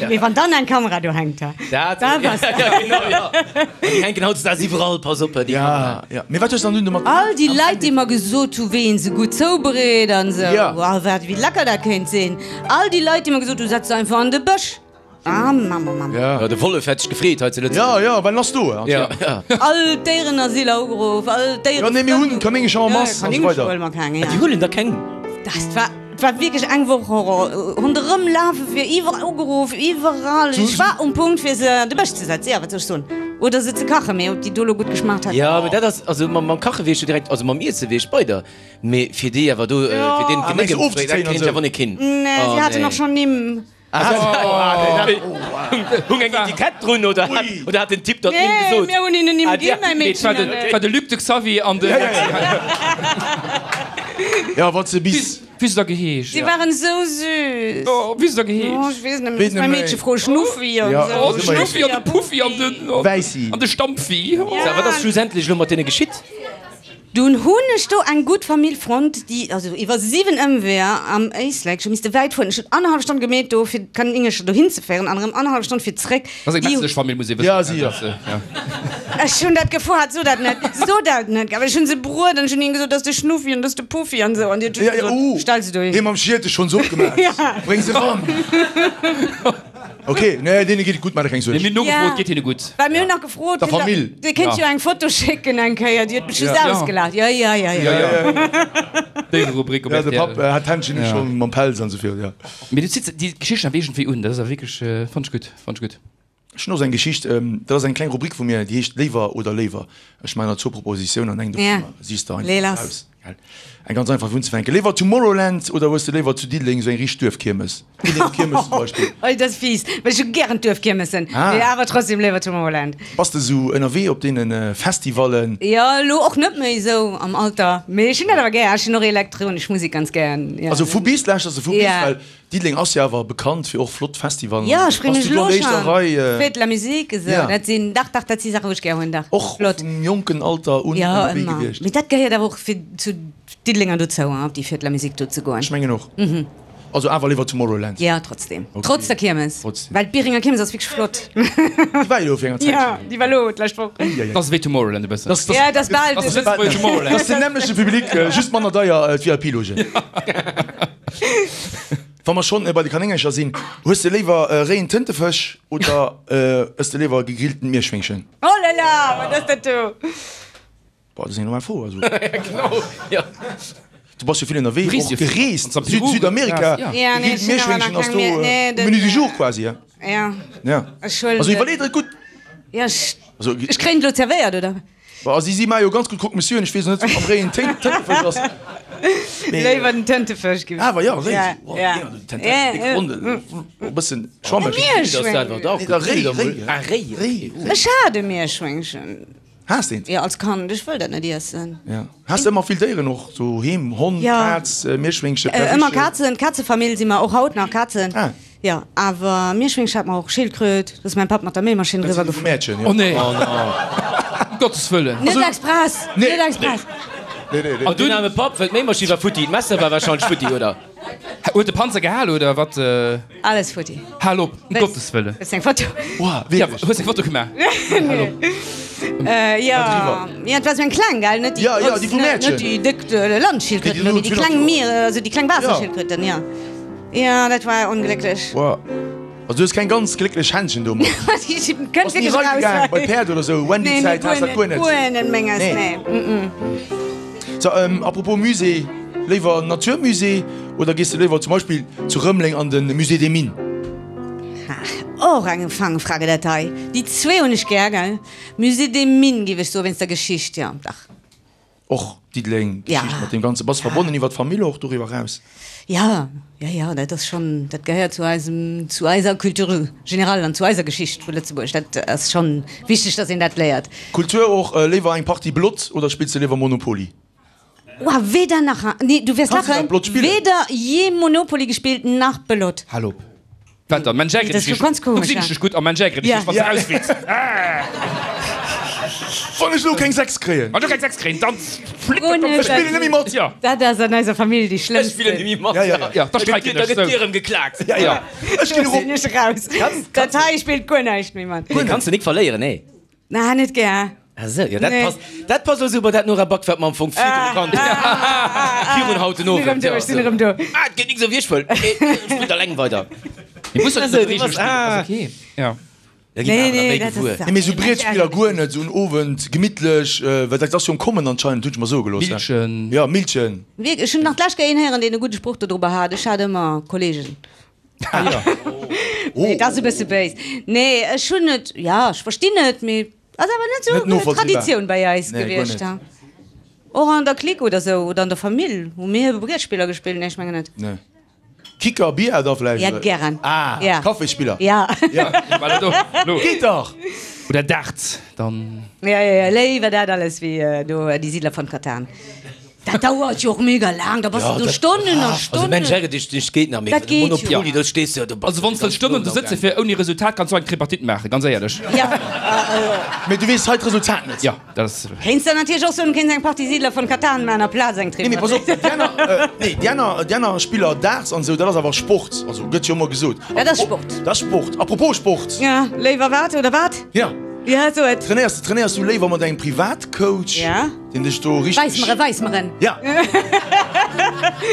Mee wann dann eng Kamera do hänkt, da Dat, bass de. ja, genau, ja. An déi hänken hautdesdaags iwwerall, pass op, déi Ja, Kameraen. ja. Mee wat hues de dann dunn domat All déi Leit, déi mer gesot hu wéi een se gutt zoubereet an esou, Ja. wow, wat, wéi lecker dat kéint sinn. All déi Leit, déi mer gesot hu, setz se einfach an de Bësch. Ah, Mamm, oh Mamm. Ja. Ja, de Wollef hätt sech gefreet hei zu Ja, Lëtzebuerg. ja, well en ass do. Ja, Ja, ja. All d'Déierenasyler ugeruff, all Ja, nee, mir hunn Kanéngercher en masse an esou Kanéngercher weider. huele mer keng, ja. Déi huelen der keng. Dat war, et war wierklech eng Woch Horror. Ronderëm lafe fir iwwerall ugeruff, iwwerall. Ech war um Punkt fir se an de Bësch ze setzen, ja, wat soll ech soen? Oder se ze kachen, mee ob déi do elo gutt geschmaacht hätten. Ja, mee dat ass, also mam, mam Kache wier ech jo direkt, also mam Iesse wier ech bei der, mee fir déi awer do, fir deen Ah, mengs d'Genéck du ëmzebréngen, dat ofzezéien an kéint esou? awer net ginn. Nee, Oh, si haten nee. och schonn Nimm. Hung eng Etikett drun oder hat, oder hat den Typ der d'Nimm Nee, gesot? mir hunn hinnen Nimm Ah, ginn, mäi Nee, et war Meedchen de, an et war de Luc, de Xavier an de. Ja, wat se bis. Wéi se da geheescht? Si waren esou süß. Oh, wéi se da geheescht? Oh, ech weess net méi. Weess net Mäi méi. Meedche fro Schnuffi an Ja, esou. Oh, de Schnuffi an de Puffi an den. Wäissi. An de Stampfi. So, wat ass schlussendlech elo mat deene geschitt? Dunn hunn ech do eng gutt Famill fonnt, déi also iwwer 7 Ëmweeër am Éislek, ech hu misste wäit fueren, ech hunn annerhallef Stonn gemeet do fir d'Kanéngercher dohin ze féieren an erëm annerhallef Stonn fir zréck. Dat ass eng Déi metzlesch Famill, muss ee wëssen. Ja, si jo. Ech hunn dat gefuer, so dat net, so dat net, awer ech hunn se bruet an ech hunn hinnen gesot, dat ass de Schnuffi an dat ass de Puffi an esou an déi huet just Ja, ja, gesot, uh, stell se dohin. Hee mam Schiertech schonns opgemaach. Ja. Bréng se ran. Ok, nee, deene geet et gutt, maach der keng Suerg. Mir hunn nogefrot, Ja. geet hinne gutt. Well mir hunn nach gefrot, Der Famill. Dir kéint jo eng Foto schécken eng Kéier, déi huet mech just Ja. ausgelaacht. Ja, ja, ja, ja. Ja, ja. Déiererubrik op Ja, de Papp rtl. hat d'Händchen Ja. schonn mam Pelz an esou virun, ja. Mee du zitt déi Geschichten awer iergendwéi un, dat ass awer wierklech, fannt ech gutt, fannt ech gutt. Ech hunn och esou eng Geschicht, dat ass eng kleng Rubrik vu mir, déi heescht Léiwer oder léiwer. Ech maachen der zwou Propositiounen an eng Ja. dovunner sichs de Lee einfach lass. aus. Gell? Eng ganz einfach fir unzefänken. Léiwer Tomorrowland oder hues de léiwer zu Diddeleng esou eng richteg Duerfkiermes? Diddelénger Kiermes zum Beispill. Oi, dat ass fies, well ech hu gären d'Duerfkiermessen, Ah. mee awer trotzdem léiwer Tomorrowland. Bass de esou ënnerwee op deene Festivallen? Jo, elo och net méi esou am Alter, mee ech hunn dat awer gär. Ech hunn och elektronesch Musek ganz gären, jo. Also vu bis lauschters de vu bis, Ja. well Diddeleng ass jo awer bekannt fir och flott Festivallen. Jo, ech freeë Bass mech du do elo an der éischter schonn. Rei? Fête de la musique, esou, Ja. dat sinn, dach, dach, dat si Saachen, wou ech gär hunn, dach. Och Flott. vum jonken Alter un Jo, ënnerwee ëmmer. gewiescht? Mee dat gehéiert awer och fir zu Diddelenger dozou, hein, op déi Fête de la musique do ze goen. Ech mengen och. Also awer léiwer Tomorrowland. Jo, trotzdem. Okay. Trotz der Kiermes. Trotzdem. Well d'Bierenger Kiermes ass wierklech flott. Déi war jo elo fir enger Zäitchen. Jo, déi war elo d'lescht Woch. Ui, ui, ui. Dat ass ewéi Tomorrowland e bëssen. Das, das, Ja, dat ass bal. Dat ass Lëtzebuerger Tomorrowland. Das ass den nämmlechte Public, just manner deier, d'VIP-Logen. Wa mer schonn bei de Kanéngercher sinn, hues de léiwer réien Tëntefësch oder ëss de léiwer gegrillten Mierschwéngchen? Oh là là, wat ass dat do? Boah, dat ass eng normal Fro, also. Genau, jo. Du bass jo vill ënnerwee, Reest och jo vill. gereest, An Süd, Peru, Südamerika. ja. Ja, nee, Gegrillt ech hunn awer Mierschwéngchen nach ass keng do Mier, nee, den, Menu du jour quasi, ja. Ja, Ja. ech huelen Also den. iwwerlee der et gutt. Ja, ech, Also, ech kréien et elo zerwéiert, oder? Bon, si si maache jo ganz gutt Croque Monsieur, ech weess net ob réien Tëntefësch ass. Mee Léiwer den Tëntefësch gi. Awer jo, réi. Ja, Oh, ja. jo, den Tëntefësch, déck Rondel, e bëssen schwammeg. Mierschwéngchen. Da réi, réi. Ah, réi, Réi. Ech hat e Mierschwéngchen. Has d'eent? Jo, als Kand. Ech wëll dat net iessen. Ja. Has de ëmmer vill Déieren och doheem? Hond, Ja. Kaz, Mierschwéngchen, Ëmmer Perruche? Kazen, Kazefamill si mer och haut nach, Kazen. Ah. Jo, awer Mierschwéngchen hat mer och, Schildkröt, do ass mäin Papp mat der Méimaschinn Dat driwwer sinn déi vum gefuer. Mäertchen, jo. Oh nee! Ëm Gottes Wëllen! Net express, Nee. net express. Nee, nee, nee. An dunn aarme Papp, well d'Méimaschinn war futti, d'Messer war wahrscheinlech futti, oder? Huet de Panzer gehal oder wat? Alles futti. Hal op, ëm Gottes Wëllen! Wëlls eng Foto? Wow, Ja, wierklech? hues eng Foto gemaach? Nee. Jo, jo, et war sou eng kleng, gell? Net déi Ja, ja, grouss, déi vum net Mäertchen. déi déck Landschildkröten, Déi, déi mee déi kleng Mier, also déi kleng Waasserschildkröten, jo. Jo, dat war onglécklech. Wow. Also du hues keng ganz glécklech Händchen domat. Kënnt Bass ni wierklech eragegaang raus. bei Päerd oder sou? Nee, nee, Wendy-Zäit guer has dat net, guer net. guer net menges, Nee. nee. Mm-mm. So, apropos Musée, léiwer Naturmusée oder gees de léiwer zum Beispill zu Rëmeleng an de Musée des Mines? Ha, och eng Fangfrage dat hei. Déi zwee hunn ech gär, gell. Musée des Mines géif ech soen, wéinst der Geschicht, jo, dach. Och Diddeleng, d'Geschicht mat deem Ganze. Bass verbonnen iwwer d'Famill och doriwwer eraus? Jo, jo, jo, dat ass schonn, dat gehéiert zu eisem, zu eiser Culture générale an zu eiser Geschicht vu Lëtzebuerg. Dat ass schonn wichteg, datt een dat léiert. Kultur och, léiwer eng Partie Blott oder spills de léiwer Monopoly? Wow, weder nach, nee, du wäers lachen, weder je Monopoly gespillt nach Belote. Hal op. Wat dann? Mensch ärgere Dat dech ass scho ganz nicht. Du komesch, gesinn ja. ech dech gutt a Mensch ärgere dech Ja. nicht, wann s de rausflitt. Wann ech elo keng 6 kréien. Wann du keng 6 kréien, dann flitt Oh dat nee, Ech spillen net méi mat. Ja. Dat ass an eiser Famill déi Ech spillen schlëmmsten. net méi mat. Ja, ja, ja. Ja, da Da gëtt streiken da ech gëtt sou. dir erëm geklaakt. Ja, ja. Ech ginn Do erop. sinn ech raus. Dat hei spillt guer näischt méi mat. Nee, kanns de nik verléieren, nee. Na, net gär. Ah sou, jo dat Nee. passt, dat passt elo sou bei dat Nora Back, wat mer am Fong virdru kannt hunn, virun haut den Sinn erëm Owend. do, Jo, ech sinn sou. erëm do. Ah, et geet nik sou wéi ech wëll. Okay, ech spillt alleng weider. Mir mussen Ah net sou, no du de Reegele bass, spillen, ah. ass okay. Ja. Da gi mer Nee, awer nach nee, méi dat gewuer. ass. Nee, mee sou Brietspiller guer net, sou en Owend gemittlech, well dat ass jo am Kommen anscheinend, hunn ech mer soe gelooss. Millchen. Ja, Millchen. Wierklech, ech hunn nach d'lescht Kéier een héieren, deen e gudde Sproch dodrobber hat, Ech hat ëmmer Kollegen. Nee, dat ass e bësse béis. Nee, ech hunn et, jo, ech verstinn et, mee ass awer net esou Traditioun bei eis gewiescht. Och an der Clique oder sou, oder an der Famill hu mir Brietspiller gespillt? Nee, ech mengen net. Nee. Kicker, Billard da vläicht? Ja, gären. Ah, Ja. Kaffisspiller. Ja. Ja. Geet dach! Oder Darts, dann. Ja, ja, ja, léiwer dat alles wéi do Die Siedler von Catan. Dat dauert jo och mega laang, da bass de do Stonnen a Also Stonnen. Mensch ärger dech nicht geet nach, mee Dat geet jo. Monopoly, do stees de jo, do bass Also wann s de Stonnen do sëtze fir ouni Resultat kanns du eng Tripartite maachen, ganz éierlech. Ja, Mee du weess hei d'Resultat net. Jo, dat ass. Kéints der natierlech och soen, du kéints eng Partie Siedler von Catan maachen aplaz eng Nee, mee pass op, Tripartite. déi aner, nee, déi aner, déi aner Spiller Darts an esou, dat ass awer Sport, also gëtt jo ëmmer gesot. Dat ass Sport. Dat ass Sport. Apropos Sport. Ja, léiwer wat oder wat? Ja. Ja, so et. Trainéiers, trainéiers du léiwer mat engem Privatcoach? Ja. Deen dech do richteg. Weis mer en, weis mer en. Ja.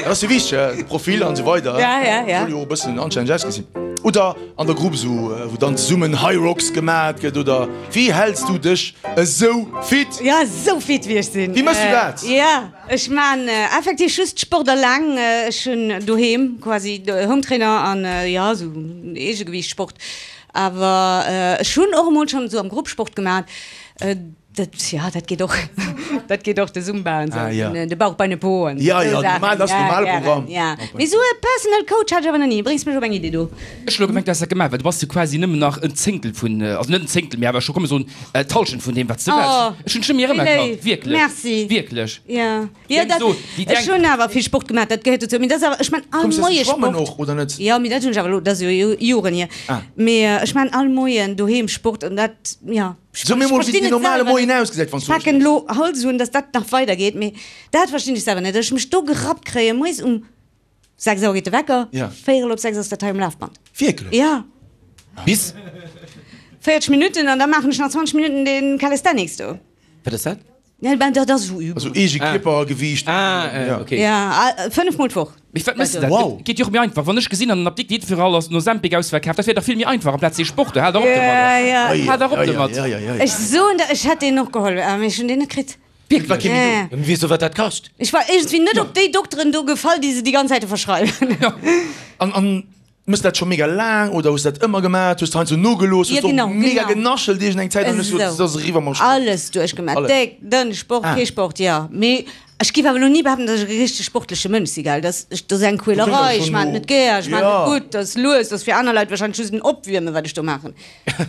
Dat ass jo wichteg, de Profil an esou weider. Ja, ja, ja. Soll jo och e bëssen anstänneg ausgesinn. Oder an der Grupp esou, wou dann zesummen Hyrox gemat gëtt oder wéi häls du dech esou fit? Ja, esou fit wéi ech sinn. Wéi méchs du dat? Ja, ech man effektiv just Sport alleng. Ech hunn doheem quasi Hometrainer an ja, esou Eegegewiichtsport. Awer ech hunn och emol schonn esou am Grupp Sport gemat. Dat, ja, dat geet och. Dat geet och, de Zumba an Ah, ja. sou, de Bauch, Beine, Po an Ja, esou ja, Saachen. normal, dat ass Ja, normale gären, Programm. ja. Mee sou e Personal Coach hat ech awer nach ni. Bréngs mech op eng Iddi do. Ech hu lo gemengt, du häss dat gemaach, well du bass jo quasi nëmmen nach en Zéngtel vun, also net en Zéngtel, mee awer scho, komm mir soen, d'Hallschent vun deem, wat s de Oh, waars. Ech hunn dech net méi wéi erëmerkannt, léif. wierklech. Merci. Wierklech. Ja, jo, dat, So, déi ech denk. hunn awer vill Sport gemaach, dat gehéiert dozou. Mee dat ass awer, ech man all Kommst du Moie schwammen Sport. och, oder net? Jo, mee dat hunn ech awer elo, dat ass jo Joren hier. Ah. Mee ech man all Moien doheem Sport an dat, ja. So mir mol wéi den normale Moien ausgesäit wann s du Packen lo Hals un, dass dat nach weider geet, mee dat verstinn ech selwer net, dass ech mech do gerappt kréien moies um 6 Auer geet de Wecker, véierel op 6 ass dat hei um Lafband. Wierklech? Ja. Bis? 40 Minutten an da maachen ech nach 20 Minutten den Calisthenics do. Wat ass dat? Ja, ben, dat ass esou Übung. Also eege Kierpergewiicht. Ah, okay. Ja, 5 mol d'Woch. Mee wat méchs de dat? Wow. Geet jo och méi einfach. Wann ech gesinn an den Apdikt jiddwer all ass den Ozempic ausverkaaft, dat wier dach vill méi einfach amplaz dee Sport do. Hal dach op domadder. Ja, ja. Hal dach op domat. Ech soen der, ech hätt deen och geholl, mee ech hunn deen net kritt. Wierklech? Ja. Mee weess du wat dat kascht? Ech war iergendwéi net op déi Dokteren do gefall, déi se déi ganz Zäite verschreiwen. An, an Mëss dat scho mega laang oder hues dat ëmmer gemat? Hues de heiansdo nogelooss? Hues de och mega genaschelt iergend eng Zäit an hues gesot, et ass eriwwer mam Sport? Alles duerchgemat, déck, dënn, Sport, kee Sport, jo. Mee ech giff awer elo ni behaapten, datt ech e richteg sportleche Mënsch si, gell. Dat ass eng Quälerei, ech maan et net gär, ech maan et net gutt, dat ass lues, dat ass fir aner Leit wahrscheinlech just en Opwiermen, wat ech do maachen.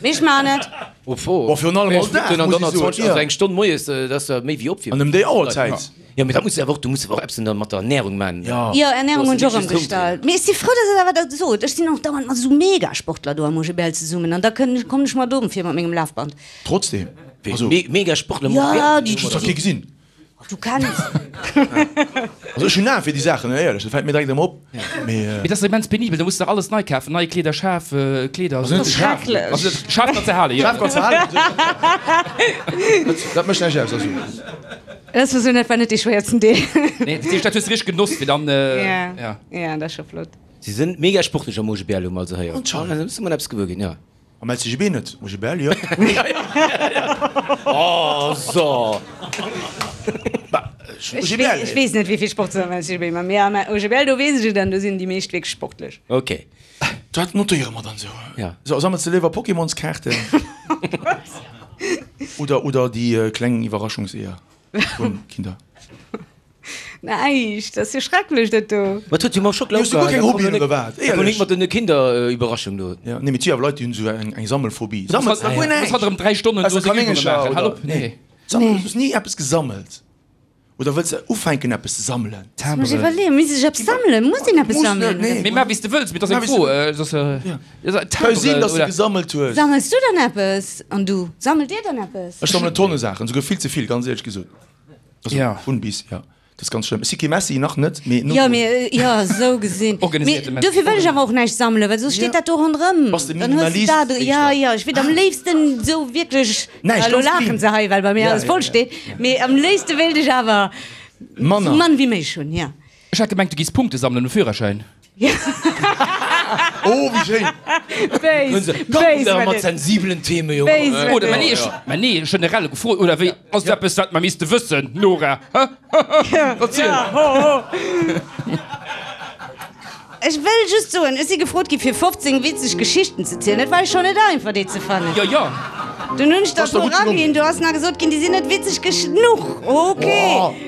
Mee ech maan et. Boah, virun allem all Dag, muss ech soen. Also eng Stonn moies, dat ass méi wéi Opwiermen. An ëm déi Auerzäit. Jo, mee dat muss de awer och, du muss awer och eppes mat der Ernährung man. Jo, Ernährung hunn ech och ëmgestallt. Mee ech si frou, dass Der awer dat sot. Ech sinn och dauernd mat esou Megasportler do am OGBL zesummen an da kommen ech mer domm vir mat mengem Lafband. Trotzdem, also. Megasportler? Jo, déi. Ech hunn zwar kee gesinn. Du kenns. Also ech hunn Aen fir déi Saachen, éierlech, dat fält mir direkt ëmmer op. Mee. Mee dat ass immens penibel, da muss de dach alles nei kafen, nei Kleeder, schaarf Kleeder. Also net ze schaarf. Also schaarf kanns de halen, jo. Schaarf kanns de halen. Dat mécht näischt aus, also. Dat war sou net war net dee schwéiersten Deel. Nee, dat heescht dat hues de richteg genoss fir dann ja. Ja, dat ass scho flott. Si sinn mega sportlech am OGBL hu mer also héieren. Anscheinend. Da musse mer eppes gewuer ginn, jo. Am LCGB net, OGBL jo. Oh so. Bah. OGBL. Ech weess net, wéi vill Sport se am LCGB maachen, mee am OGBL, do weess ech et, an do sinn déi meescht wierklech sportlech. Ok. Dat notéiere mer dann esou. Ja. So, sammels de léiwer Pokémonskaarten oder, oder déi kleng Iwwerraschungseeër vun Kinder? Näischt, dat ass jo schrecklech dat do. Wat huet jo mam Schockela Hues du guer keng Hobbyen oder wat? Éierlech? Nik mat den Kinderüberraschung do. Ja, nee, mee et si awer Leit, déi hunn esou eng, eng Sammelphobie. Sammels da guer Muss näischt? hatt erëm 3 Stonnen do Ausser seng Übunge Kanéngercher maachen. Hal oder? op, nee. Nee. Sammels, hues ni eppes gesammelt? Oder wëlls de ufänken eppes ze sammelen? Muss mech iwwerleeën, misst ech eppes sammelen? Muss een eppes Muss net, sammelen? nee. Mee maach wéi s de wëlls, mee et ass eng Fro. Et ass, Ka jo sinn, Timberen dass de oder? gesammelt hues. Sammels du dann eppes? An du? Sammelt dir dann eppes? Ech sammelen Tonne Saachen, souguer vill ze vill, ganz éierlech gesot. Also Ja. vun bis, ja. Dat ass ganz schlëmm. Ech si kee Messi, nach net, mee no Jo, drun. mee jo, esou gesinn. Mee Organiséierte Messi. dofir wëll ech awer och näischt sammelen, well soss steet dat do ronderëm. Bass de Dann hues de Minimalist dat. Ja, éischter? jo, ech wier am léifsten esou wierklech, Näischt, elo ganz laachen clean. se hei, well bei mir Ja, alles ja, voll ja. steet, mee am léifste wéilt ech awer esou Manner. mann wéi méiglech hunn, ja. Ech hat gemengt, du giss Punkte sammelen um Führerschäin. Oh, wéi schéin! Béis, béis, Awer mat sensibelen Theme, Jong. Béis, Oder, mä nee, ech, mä nee, generell gefrot, oder wéi? Ass et eppes, wat mer misste wëssen, Nora? Hä? Erziel! Ech wëll just soen, ech si gefrot gi fir 15 witzeg Geschichten ze zielen. Et war jo schonn net einfach, déi ze fannen. Jo, jo. Dunn hunn ech der e Ass der puer gutt gelongen. eraginn. Do ass nach gesot ginn, déi sinn net witzeg genuch. Ok,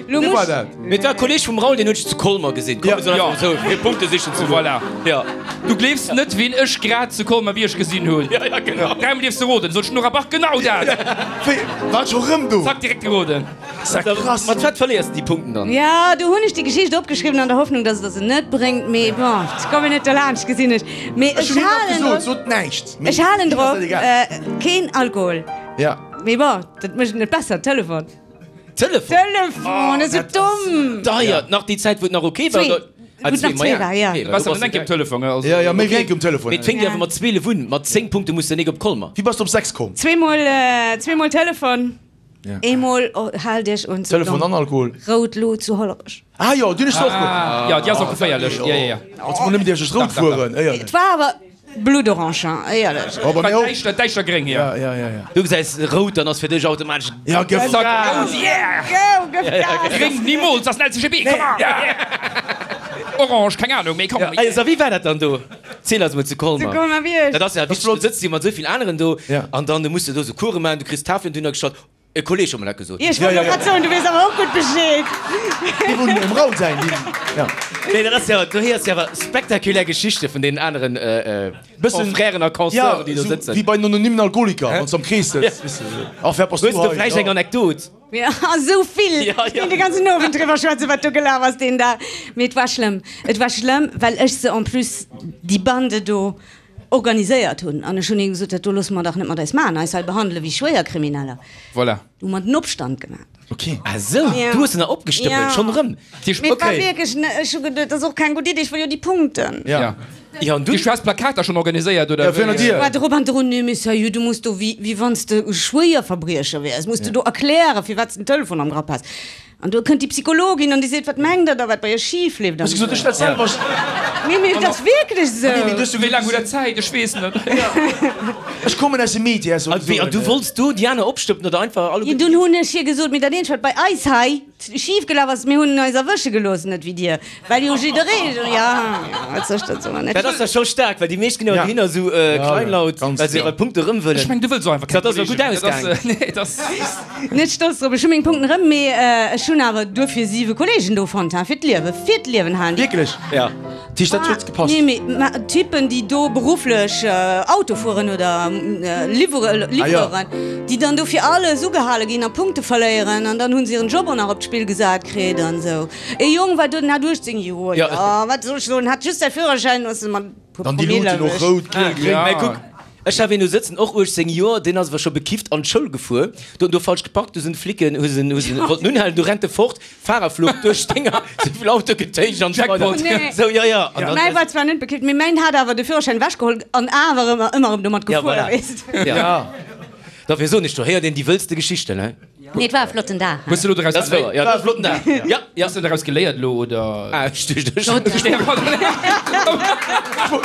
lo Wie war muss. dat? Mee et war e Kolleg vum Raoul, deen hunn ech zu Colmer gesinn. Komm, Ja. mir sollen Ja. einfach esou fir Punkte sichen ze goen. Voilà. Ja. Du gleefs net, ween ech grad zu Colmer-Bierg gesinn hunn. Ja, ja, genau. Dräimol dierfs de roden. Sot d'Nora Bach, genau dat! Wéi, war scho rëm do? Zack, direkt geroden. Ass ja krass. Mat wat verléiers de déi Punkten dann? Ja, do hunn ech déi Geschicht opgeschriwwen an der Hoffnung, dass et der se net bréngt. Mee bon, ech kommen net derlaanscht, gesinn ech. Mee Ech ech hunn him nach halen gesot, drop, sot näischt. Mee ech halen him ass drop, dat egal. keen Alkohol. Ja. Mee bon, dat mécht et net besser, Telefon. Telefon? Telefon, esou domm! Deier, nach déi Zäit wou et nach ok war? Zwee. Ah, Wou et nach zwee war, ja. Okay, Besser mat engem Telefon, also. Ja, ja, méi wéi engem Telefon. Mee et fénkt jo awer mat 12 un, mat 10 Punkte muss de nik op Colmer. Wéi bass de op 6 komm? Zweemol, zweemol Telefon, eemol, oh, haalt iech un, sou Telefon domm, an Alkohol. Rout Lut zu Hollerech. Ah jo, déi hunn ech och geholl. Ja, déi ass och geféierlech, ja, ja, ja. Als mol nëmmen dierf ech rout fueren, éierlech. Et war awer. Bluttorange, éierlech. Oh, bei mir och. Däischter, däischter gréng, jo. Ja, ja, ja, ja. Du gesäis rout, dann ass fir dech automatesch. Ja, gëff Zack, Gas! rout, yeah! Go, gëff Gas! Gréng, nimools, ass den LCGB, come on! Orange, keng Ahnung, mee komm. Ja, so, wéi war dat dann do? Ziel eis mol zu Colmer. Zu Colmer-Bierg. Dat ass ja wichteg, du sëtz jo mat esou vill aneren do Ja. an dann muss de do sou Course maachen, du kriss Tafelen dunner gestallt. E Kolleg huet mer dat gesot. Jo, ech wollt och grad soen, du weess awer och gutt Bescheed. Déi wou um Raum sein, déi, ja. Nee, dat ass jo, du héiers jo awer spektakulär Geschichte vun deenen aneren Confrèren a Consoeuren, déi do sëtzen. Wéi bei den anonymen Alkoholiker, wann s du am Krees sëtz, weess de. Ach, wat bass du Hues du hei? vläicht eng Anekdot? Jo, esou vill! Ja, Ech ja. kéint de ganzen Owend driwwer schwätzen, wat do gelaf ass deen Dag. Mee et war schlëmm. Et war schlëmm, well ech se en plus, déi Bande do, organiséiert hunn. An ech hunn hinne gesot, dat do loosse mer dach net mat eis maachen, eis hei behandele wéi Schwéierkrimineller. Voilà. Du hu mer den Opstand gemaach. Ok. Ah sou, du hues se nach opgestëppelt, schonn erëm? Mee et war wierklech, ech hu geduet, dat ass och keng gutt Iddi, ech wëll jo déi Punkten. Ja. Ja, an dunn? Du has Plakater schonn organiséiert, oder Ja, virun der wéi? Dier. War drop an drun, nee mee sérieux, du muss do, wéi, wéi wann s de e Schwéierverbriecher wiers, muss de do erklären, firwat s de den Telefon am Grapp has. An do kënnt déi Psychologin an déi seet, Wat mengt Der da, wat bei Iech schif leeft? Hues du gesot, ech dat selwer. Nee, mee et ass wierklech esou. Nee, mee du hues jo Wéi laang hutt Der Zäit? Ech weess net. Ech kommen aus dem Media, soll An wéi, an du wollts do déi aner opstëppelen oder einfach Jo, alleguerten? dunn hunn ech hir gesot, mee dat eenzegt, wat bei eis hei schif gelaf ass, mir hunn eis erwësche gelooss, net wéi dir, well jo jidderee, jo, wat soll ech da soen? Dat ass da scho staark, well déi meescht ginn awer dohinner esou kleinlaut, well se hir Punkte erëm wëllen. Ech meng, du wëlls och einfach keng Dat ass awer gutt Kolleegen. Dat ass, ausgaangen. nee, dat ass. Net stolz drop, ech hu meng Punkten erëm, mee ech hunn awer duerfir 7 Kollegen do fonnt, ha, fir d'Liewe, fir d'Liewen halen déi. Wierklech? Ja. Dat heescht, dat huet gepasst? Nee, mee ma Typen, déi do berufflech Auto fueren oder liwwere, Livreuren, déi dann do fir alles ugehale ginn a Punkte verléieren an dann hu se hiren Job och nach op d'Spill gesat kritt an esou. Ee Jong war do, den hat 18 Joer, jo, wat soll ech soen, hat just säi Führerschäin, ass mat puer Dann déi Promille Luuten och erwëscht. rout, giel, gréng. Mä kuck, Ech hat een do sëtzen, och 18 Joer, deen ass awer scho bekifft an d'Schoul gefuer, do huet en do falsch geparkt, du sinn d'Flicken, hu se, hu se, wollten unhalen, du rennt e fort, Fahrerflucht duerch d'Dénger, souvill Autogetéisch an esou weider. Nee. Sou, jo, jo. An dann. Mäi war zwar net bekifft, mee mäin hat awer de Führerschäin ewechgeholl an awer ëmmer, ëmmer erëm domat Ja, gefuer, voilà. weess de. Ja. Dofir soen ech, do héiert een déi wëllste Geschichten, he. Nee, et war e flotten Dag. Hues de lo doraus Dat ass wouer, ja, dat war e flotten Dag. Ja, ja. Hues de doraus geléiert lo, oder? Ah, ech duecht, ech.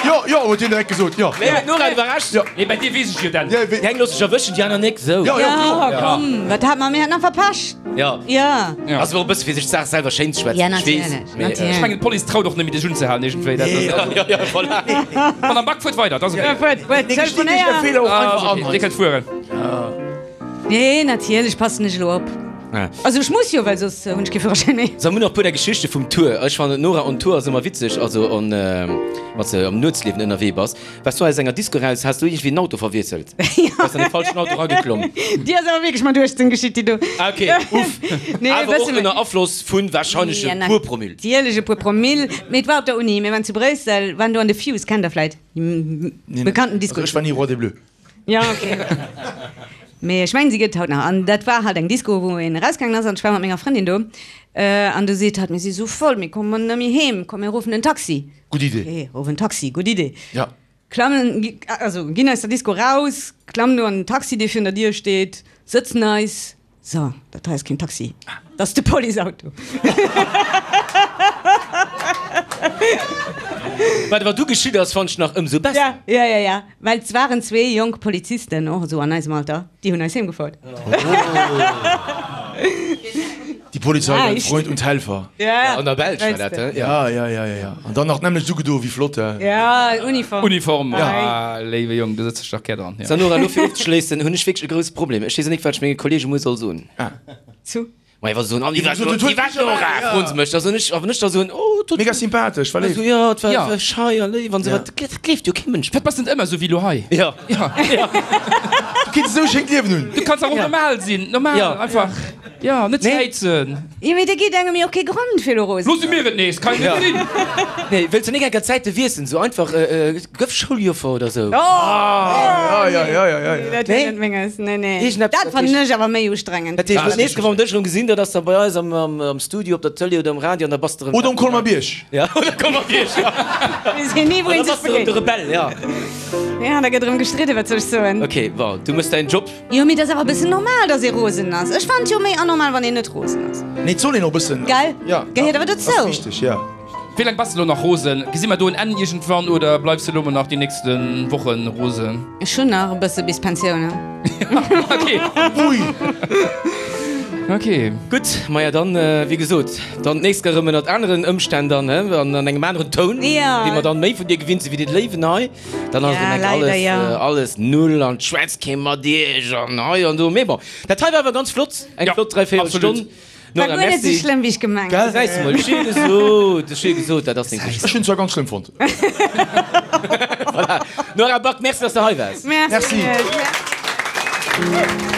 Jo, jo, huet hien direkt gesot, jo. Nee, d'Nora iwwerrascht. Jo. Nee, bei dir weess ech jo dat. Ja, wéi. Déi eng loosse sech erwëschen, déi aner nik, sou. Jo, jo, kloer. Ja, komm, wat hat mer? Mir haten einfach Pech. Ja. Ja. Ja. Ass awer och e bësse fir sech d'Saach selwer schéin ze schwätzen. Ja, Ech weess, natierlech, mee, natierlech. Ech mengen d'Police traut och net méi dech unzehalen iergendwéi. Dat ass Ja, ja, ja, voilà. Madame Back, fuert weider, dat ass ok. Ja, fuert, fuert, Nee, gestinn ech de telefonéier. Feeler och Ah, einfach ass an. ok, Dir kënnt fueren. Nee, natierlech passen ech elo op. Also ech muss jo, well soss hunn ech kee Führerschäin méi. So, mir hunn nach e puer där Geschichte vum Tour. Ech fannen d'Nora on Tour ass ëmmer witzeg, also on, wann s de am Nuetsliewen ënnerwee bass. Waars du aus enger Disco raus, has du iergendwéi en Auto verwiesselt? Bass an de falschen Auto rageklomm? Déi ass awer wierklech mat 18 geschitt, déi do. Ah, ok, uff. Nee, e Awer och bësse méi. ënner Afloss vu warscheinlech e puer Promille. Natierlech e puer Promille. Mee et war op der Uni, mir waren zu Bréissel, waren do an de Fuse, kennt der vläit, déi bekannten Disco. Also ech war ni Roi des Bleus. Ja, ok. Mee ech mengen, si gëtt et haut nach. An dat war halt eng Disco, wou een erausgaangen ass. An ech war mat menger Frëndin do. An du seet hatt, Mir si sou voll, mir kommen net méi heem. Komm, mir ruffen en Taxi. Gutt Idee. Ok, ruff en Taxi, gutt Idee. Ja. Klammen, also ginn aus der Disco raus, klammen do an den Taxi, dee virun der Dier steet, sëtzen eis. So, dat hei ass keen Taxi, dat ass de Policeauto. Wat awer du geschitt ass, fannt ech nach ëmsou besser. Ja, ja, ja, ja, well et waren zwee jonk Polizisten, och esou an eisem Alter, déi hunn eis heem gefouert. Die Polizei, dein Näischt. Freund und Helfer. Ja, An der Belsch war dat, he? Ja, ja, ja, ja, ja. An dann nach d'nämmlecht ugedo, wéi flott, he? Ja, Uniform. Uniform, ah, léiwe Jong, do sëtz ech dach gär dran. So, Nora, elo fir ofzeschléissen, hunn ech wierklech e grouse Problem. Ech weess och nik, wat ech menge Kollege muer soll soen. Zu? Maja, wa se soen, an déi war Wéi déi war d'Nora, froen se mech. Da soen ech, a wann ech da soen, oh, et huet. Mega sympathesch, war léif. Also, jo, et war, Ja. war schei a léif an esou, wat, dat gleeft jo kee Mënsch. Wat bass net ëmmer esou wéi elo hei? Ja. Ja. Du kinns esou e schéint Liewen hunn. Du kanns dach och normal sinn, normal, Ja. einfach. Jo, net ze Nee. heizen. Jo, mee da geet engem jo och kee Grond fir elo rosen. Loosse mir et nees, kann net sinn. Nee, wëlls de nik enker d'Zäite wiesselen, sou einfach, gëff Schouljoffer oder sou. Oh! Ja, ja, ja, ja, ja. Nee, dat wier net menges. Nee, nee. Iergendeppes, Dat dat fannen heescht- ech awer méi ustrengend. Dat heescht, dat nächst Kéier, wa mer dech erëm gesinn, dat ass da bei eis am, am, am Studio, op der Tëlee oder am Radio an da bass de erëm. Oder um Colmer-Bierg. Ja, oder Colmer-Bierg, ja. Weess een ni, wou An een da sech bass de erëm de begéint. Rebell, ja. Ja, da gëtt erëm gestridden, wat soll ech soen. Ok, bon, du méchs däin Job. Jo, mee et ass awer e bëssen normal, dass ee rosen ass. Ech fannen et jo méi anormal, wann een net rosen ass. Nee, et soll een och e bëssen. Gell? Ja. Gehéiert awer dozou. Ass wichteg, ja. Wéi laang bass de lo nach rosen? Gesi mer do en Enn iergendwann oder bleifs de lo mol nach déi nächste Wochen rosen? Ech hunn nach e bësse bis Pensioun. Ok. Ui. Ok. Gutt, maja dann, wéi gesot, dann d'nächst Kéier erëm ënnert aneren Ëmstänn dann, he, an an engem aneren Toun, wéi mer dann méi vun dir gewinnt sinn, wéi de Léiwen hei. Dann ass Ja, et leider, alles, ja. alles null an schwätzt kee mat iech an hei an do. Mee bon, dat hei war awer ganz flott, eng Ja, flott dräivéierel absolut. Stonn. War Nora, guer net sou merci. schlëmm, wéi ech gemengt Gell? hunn. Gesäis de mol, ech hu jo gesot, ech hu jo gesot, dat ass deng Geschicht. Ech hunn zwar ganz schlëmm fonnt. Voilà. Nora Back, merci, dass de hei waars. Merci. Merci. Iech.